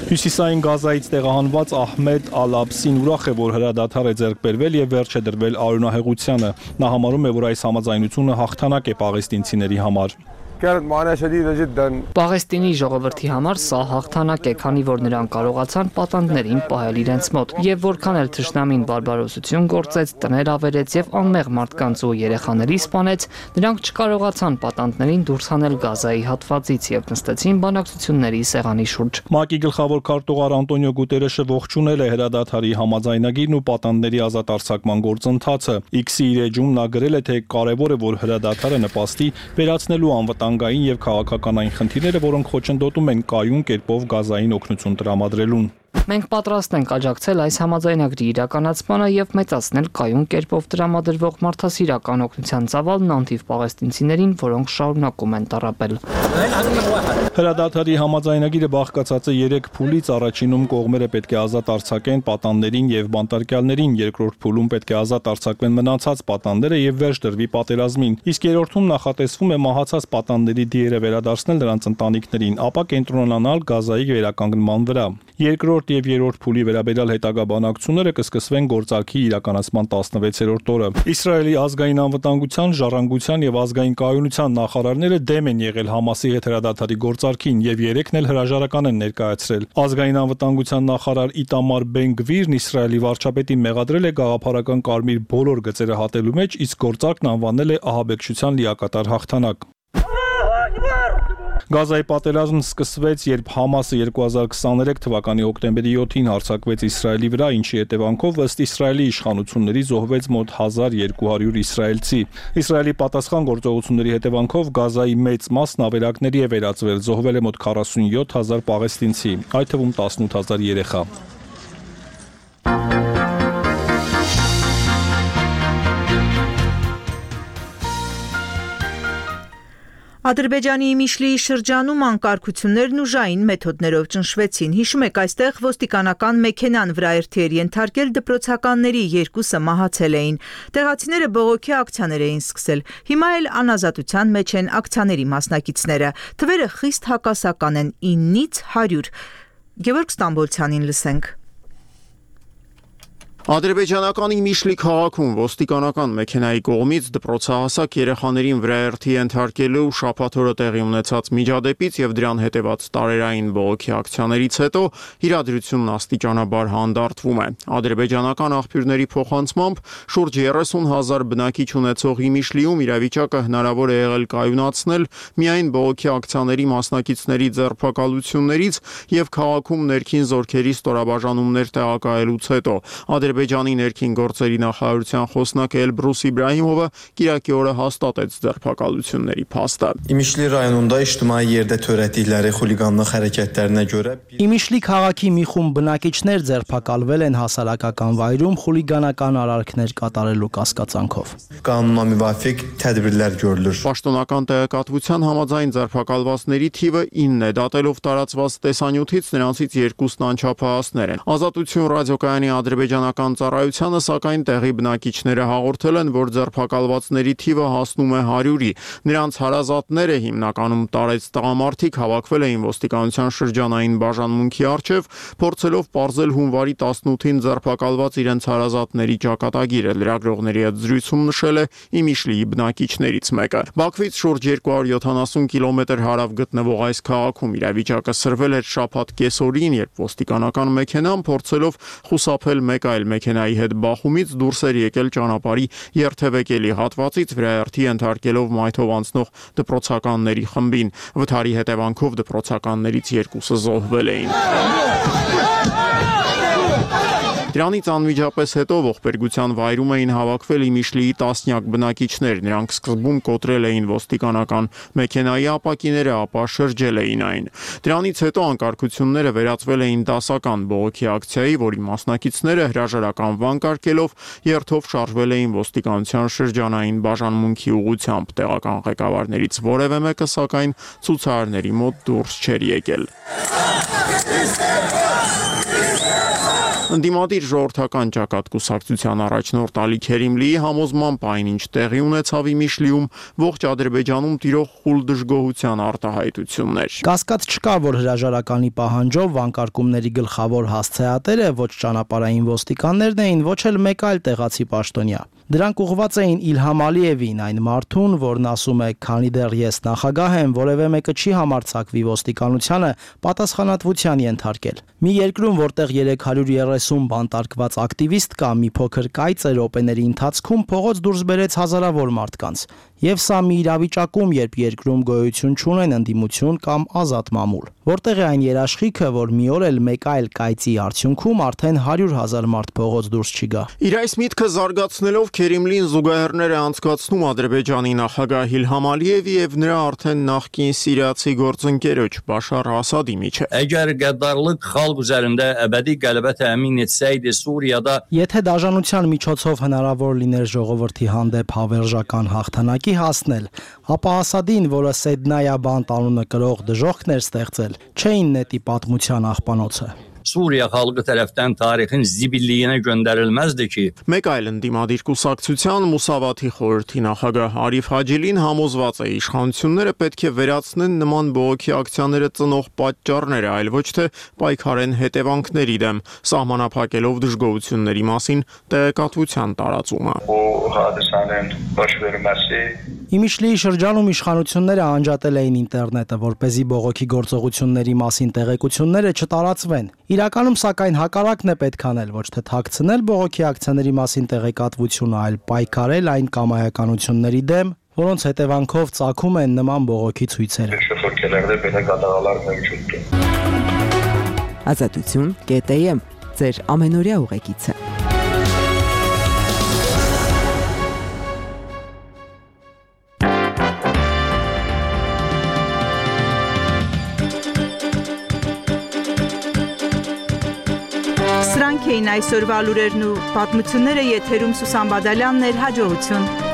Հյուսիսային Գազայից տեղահանված Ահմեդ Ալ-Աբսին ուրախ է, որ հրադադար է ձեռք բերվել եւ վերջ է դրվել արյունահեղությանը։ Նա համարում է, որ այս համաձայնությունը հաղթանակ է պաղեստինցիների համար։ Պաղեստինի ժողովրդի համար սա հաղթանակ է, քանի որ նրանք կարողացան պատանդներին պահել իրենց մոտ, եւ որքան էլ թշնամին բարբարոսություն գործեց, տներ ավերեց եւ անմեղ մարդկանց ու երեխաների սպանեց, նրանք չկարողացան պատանդներին դուրս հանել Գազայի հատվածից եւ նստեցին բանակցությունների սեղանի շուրջ։ ՄԱԿ-ի գլխավոր քարտուղար Անտոնիո Գուտերեշը ողջունել է հրադադարի համաձայնագիրն ու պատանդների ազատ արձակման գործընթացը։ X-ի իր էջում նա գրել է, թե կարևոր է, որ հրադադարը նպաստի վերացնելու անվտանգային եւ քաղաքականային խնդիրները, որոնք խոչընդոտում են կայուն կերպով Գազային օգնություն տրամադրելուն։ Մենք պատրաստ ենք աջակցել այս համաձայնագրի իրականացմանը եւ մեծացնել կայուն կերպով տրամադրվող մարդասիրական օգնության ծավալն անթիվ պաղեստինցիներին, որոնք շարունակում են տառապել։ Հրադադարի համաձայնագիրը բաղկացած է 3 փուլից, առաջինում կողմերը պետք է ազատ արձակեն պատանդներին եւ բանտարկյալներին, երկրորդ փուլում պետք է ազատ արձակվեն մնացած պատանդները եւ վերջ դրվի պատերազմին, իսկ երրորդում նախատեսվում է մահացած պատանդների դիերը վերադարձնել նրանց ընտանիքներին, ապա կենտրոնանալ Գազայի վերականգնման վրա։ Երկրորդ եւ երրորդ փուլի վերաբերյալ հետագա բանակցությունները կսկսվեն գործարքի իրականացման 16-րդ օրը։ Իսրայելի ազգային անվտանգության, ժառանգության եւ ազգային կայունության նախարարները դեմ են եղել Համասի հետ հրադադարի գործարքին եւ 3-ն էլ հրաժարական են ներկայացրել։ Ազգային անվտանգության նախարար Իտամար Բեն-Գվիրն Իսրայելի վարչապետին մեղադրել է գաղափարական կարմիր բոլոր գծերը հատելու մեջ, իսկ գործարքն անվանել է ահաբեկչության լիակատար հաղթանակ։ Գազայի պատերազմն սկսվեց, երբ Համասը 2023 թվականի հոկտեմբերի 7-ին հարձակվեց Իսրայելի վրա, ինչի հետևանքով ըստ Իսրայելի իշխանությունների զոհվեց մոտ 1200 իսրայելցի։ Իսրայելի պատասխան գործողությունների հետևանքով Գազայի մեծ մասն ավերակների է վերածվել, զոհվել է մոտ 47000 պաղեստինցի, այդ թվում 18000 երեխա։ Ադրբեջանի Իմիշլիի շրջանում անկարգություններն ուժային մեթոդներով ճնշվեցին։ Հիշում եք, այստեղ ոստիկանական մեքենան վրայերթի էր ենթարկել, դպրոցականների 2-ը մահացել էին։ Տեղացիները բողոքի ակցիաներ էին սկսել։ Հիմա էլ անազատության մեջ են ակցիաների մասնակիցները։ Թվերը խիստ հակասական են՝ 9-ից 100։ Գևորգ Ստամբոլցյանին լսենք։ Ադրբեջանական Իմիշլի քաղաքում ոստիկանական մեքենայի կողմից դպրոցահասակ երեխաներին վրայերթի ենթարկելու շաբաթ օրը տեղի ունեցած միջադեպից եւ դրան հետեւած տարերային բողոքի ակցիաներից հետո իրադրությունն աստիճանաբար հանդարտվում է։ Ադրբեջանական աղբյուրների փոխանցմամբ շուրջ 30,000 բնակիչ ունեցող Իմիշլիում իրավիճակը հնարավոր է եղել կայունացնել միայն բողոքի ակցիաների մասնակիցների ձերբակալություններից եւ քաղաքում ներքին զորքերի ստորաբաժանումներ տեղակայելուց հետո։ Ադրբեջանի ներքին գործերի նախարարության խոսնակ Էլբրուս Իբրահիմովը կիրակի օրը հաստատեց ձերբակալությունների փաստը։ İmişli rayonunda ictimai yerdə törətdikləri xuliqanlıq hərəkətlərinə görə Իմիշլի քաղաքի մի խումբ բնակիչներ ձերբակալվել են հասարակական վայրում խուլիգանական արարքներ կատարելու կասկածանքով։ Qanuna müvafiq tədbirlər görülür։ Պաշտոնական տեղեկատվության համաձայն ձերբակալվածների թիվը 9 է, դատելով տարածված տեսանյութից նրանցից 2-ն անչափահասներ են։ Ազատություն ռադիոկայանի ադրբեջանական ծառայությանը սակայն տեղի բնակիչները հաղորդել են, որ ձերբակալվածների թիվը հասնում է 100-ի։ Նրանց հարազատները հիմնականում տարեց տղամարդիկ հավաքվել էին ոստիկանության շրջանային բաժանմունքի առջև, փորձելով պարզել հունվարի 18-ին ձերբակալված իրենց հարազատների ճակատագիրը։ Լրագրողների հետ զրույցում նշել է Իմիշլիի բնակիչներից մեկը։ Բաքվից շուրջ 270 կիլոմետր հարավ գտնվող այս քաղաքում իրավիճակը սրվել էր շաբաթ կեսօրին, երբ ոստիկանական մեքենան փորձելով խուսափել մեկ այլ մեքենայի հետ բախումից դուրս էր եկել ճանապարհի երթևեկելի հատվածից, վրայերթի ենթարկելով մայթով անցնող դպրոցականների խմբին։ Վթարի հետևանքով դպրոցականներից 2-ը զոհվել էին։ Դրանից անմիջապես հետո ողբերգության վայրում էին հավաքվել Իմիշլիի տասնյակ բնակիչներ։ Նրանք սկզբում կոտրել էին ոստիկանական մեքենայի ապակիները, ապա շրջել էին այն։ Դրանից հետո անկարգությունները վերածվել էին դասական բողոքի ակցիայի, որի մասնակիցները հրաժարական վանկարկելով երթով շարժվել էին ոստիկանության շրջանային բաժանմունքի ուղղությամբ։ Տեղական ղեկավարներից որևէ մեկը սակայն ցուցարարների մոտ դուրս չէր եկել։ Ընդդիմադիր ժողովրդական ճակատ կուսակցության առաջնորդ Ալի Քերիմլիի համոզմամբ այն, ինչ տեղի ունեցավ Իմիշլիում, ողջ Ադրբեջանում տիրող խուլ դժգոհության արտահայտություններ։ Կասկած չկա, որ հրաժարականի պահանջով վանկարկումների գլխավոր հասցեատերը ոչ ճանապարհային ոստիկաններն էին, ոչ էլ մեկ այլ տեղացի պաշտոնյա։ Դրանք ուղղված էին Իլհամ Ալիևին, այն մարդուն, որն ասում է, քանի դեռ ես նախագահ եմ, որևէ մեկը չի համարձակվի ոստիկանությանը պատասխանատվության ենթարկել։ Մի երկրում, որտեղ 330 բանտարկված ակտիվիստ կա, մի փոքր կայծը րոպեների ընթացքում փողոց դուրս բերեց հազարավոր մարդկանց։ Եվ սա մի իրավիճակում, երբ երկրում գոյություն չունեն ընդդիմություն կամ ազատ մամուլ։ Որտեղ է այն երաշխիքը, որ մի օր էլ մեկ այլ կայծի արդյունքում արդեն 100,000 մարդ փողոց դուրս չի գա։ Իր այս միտքը զարգացնելով Քերիմլին զուգահեռներ է անցկացնում Ադրբեջանի նախագահ Իլհամ Ալիևի եւ նրա արդեն նախկին սիրիացի գործընկերոջ Բաշար Ասադի միջեւ։ Əgər qəddarlıq xalq üzərində əbədi qələbə təmin etsəydi Suriyada Եթե դաժանության միջոցով հնարավոր լիներ ժողովրդի հանդեպ հավերժական հաղթանակի հասնել, ապա Ասադին, որը Սեդնայա բանտ անունը կրող դժոխքներ ստեղծել, չէին նետի պատմության աղբանոցը։ Suriya xalqı tərəfdən tarixin zibilliyinə göndərilməzdi ki. Մեկ այլ ընդդիմադիր կուսակցության Մուսավաթի խորհրդի նախագահ Արիֆ Հաջիլին համոզված է, իշխանությունները պետք է վերացնեն նման բողոքի ակցիաները ծնող պատճառները, այլ ոչ թե պայքարեն հետևանքների դեմ, սահմանափակելով դժգոհությունների մասին տեղեկատվության տարածումը։ Իմիշլիի շրջանում իշխանությունները անջատել էին ինտերնետը, որպեսզի բողոքի գործողությունների մասին տեղեկությունները չտարածվեն։ Իրականում սակայն հակառակն է պետք անել, ոչ թե թաքցնել բողոքի ակցիաների մասին տեղեկատվությունը, այլ պայքարել այն կամայականությունների դեմ, որոնց հետևանքով ծագում են նման բողոքի ցույցերը։ Ազատություն.am ձեր ամենօրյա ուղեկիցը։ Սրանք էին այսօրվա լուրերն ու պատմությունները, եթերում Սուսան Բադալյանն էր, հաջողություն։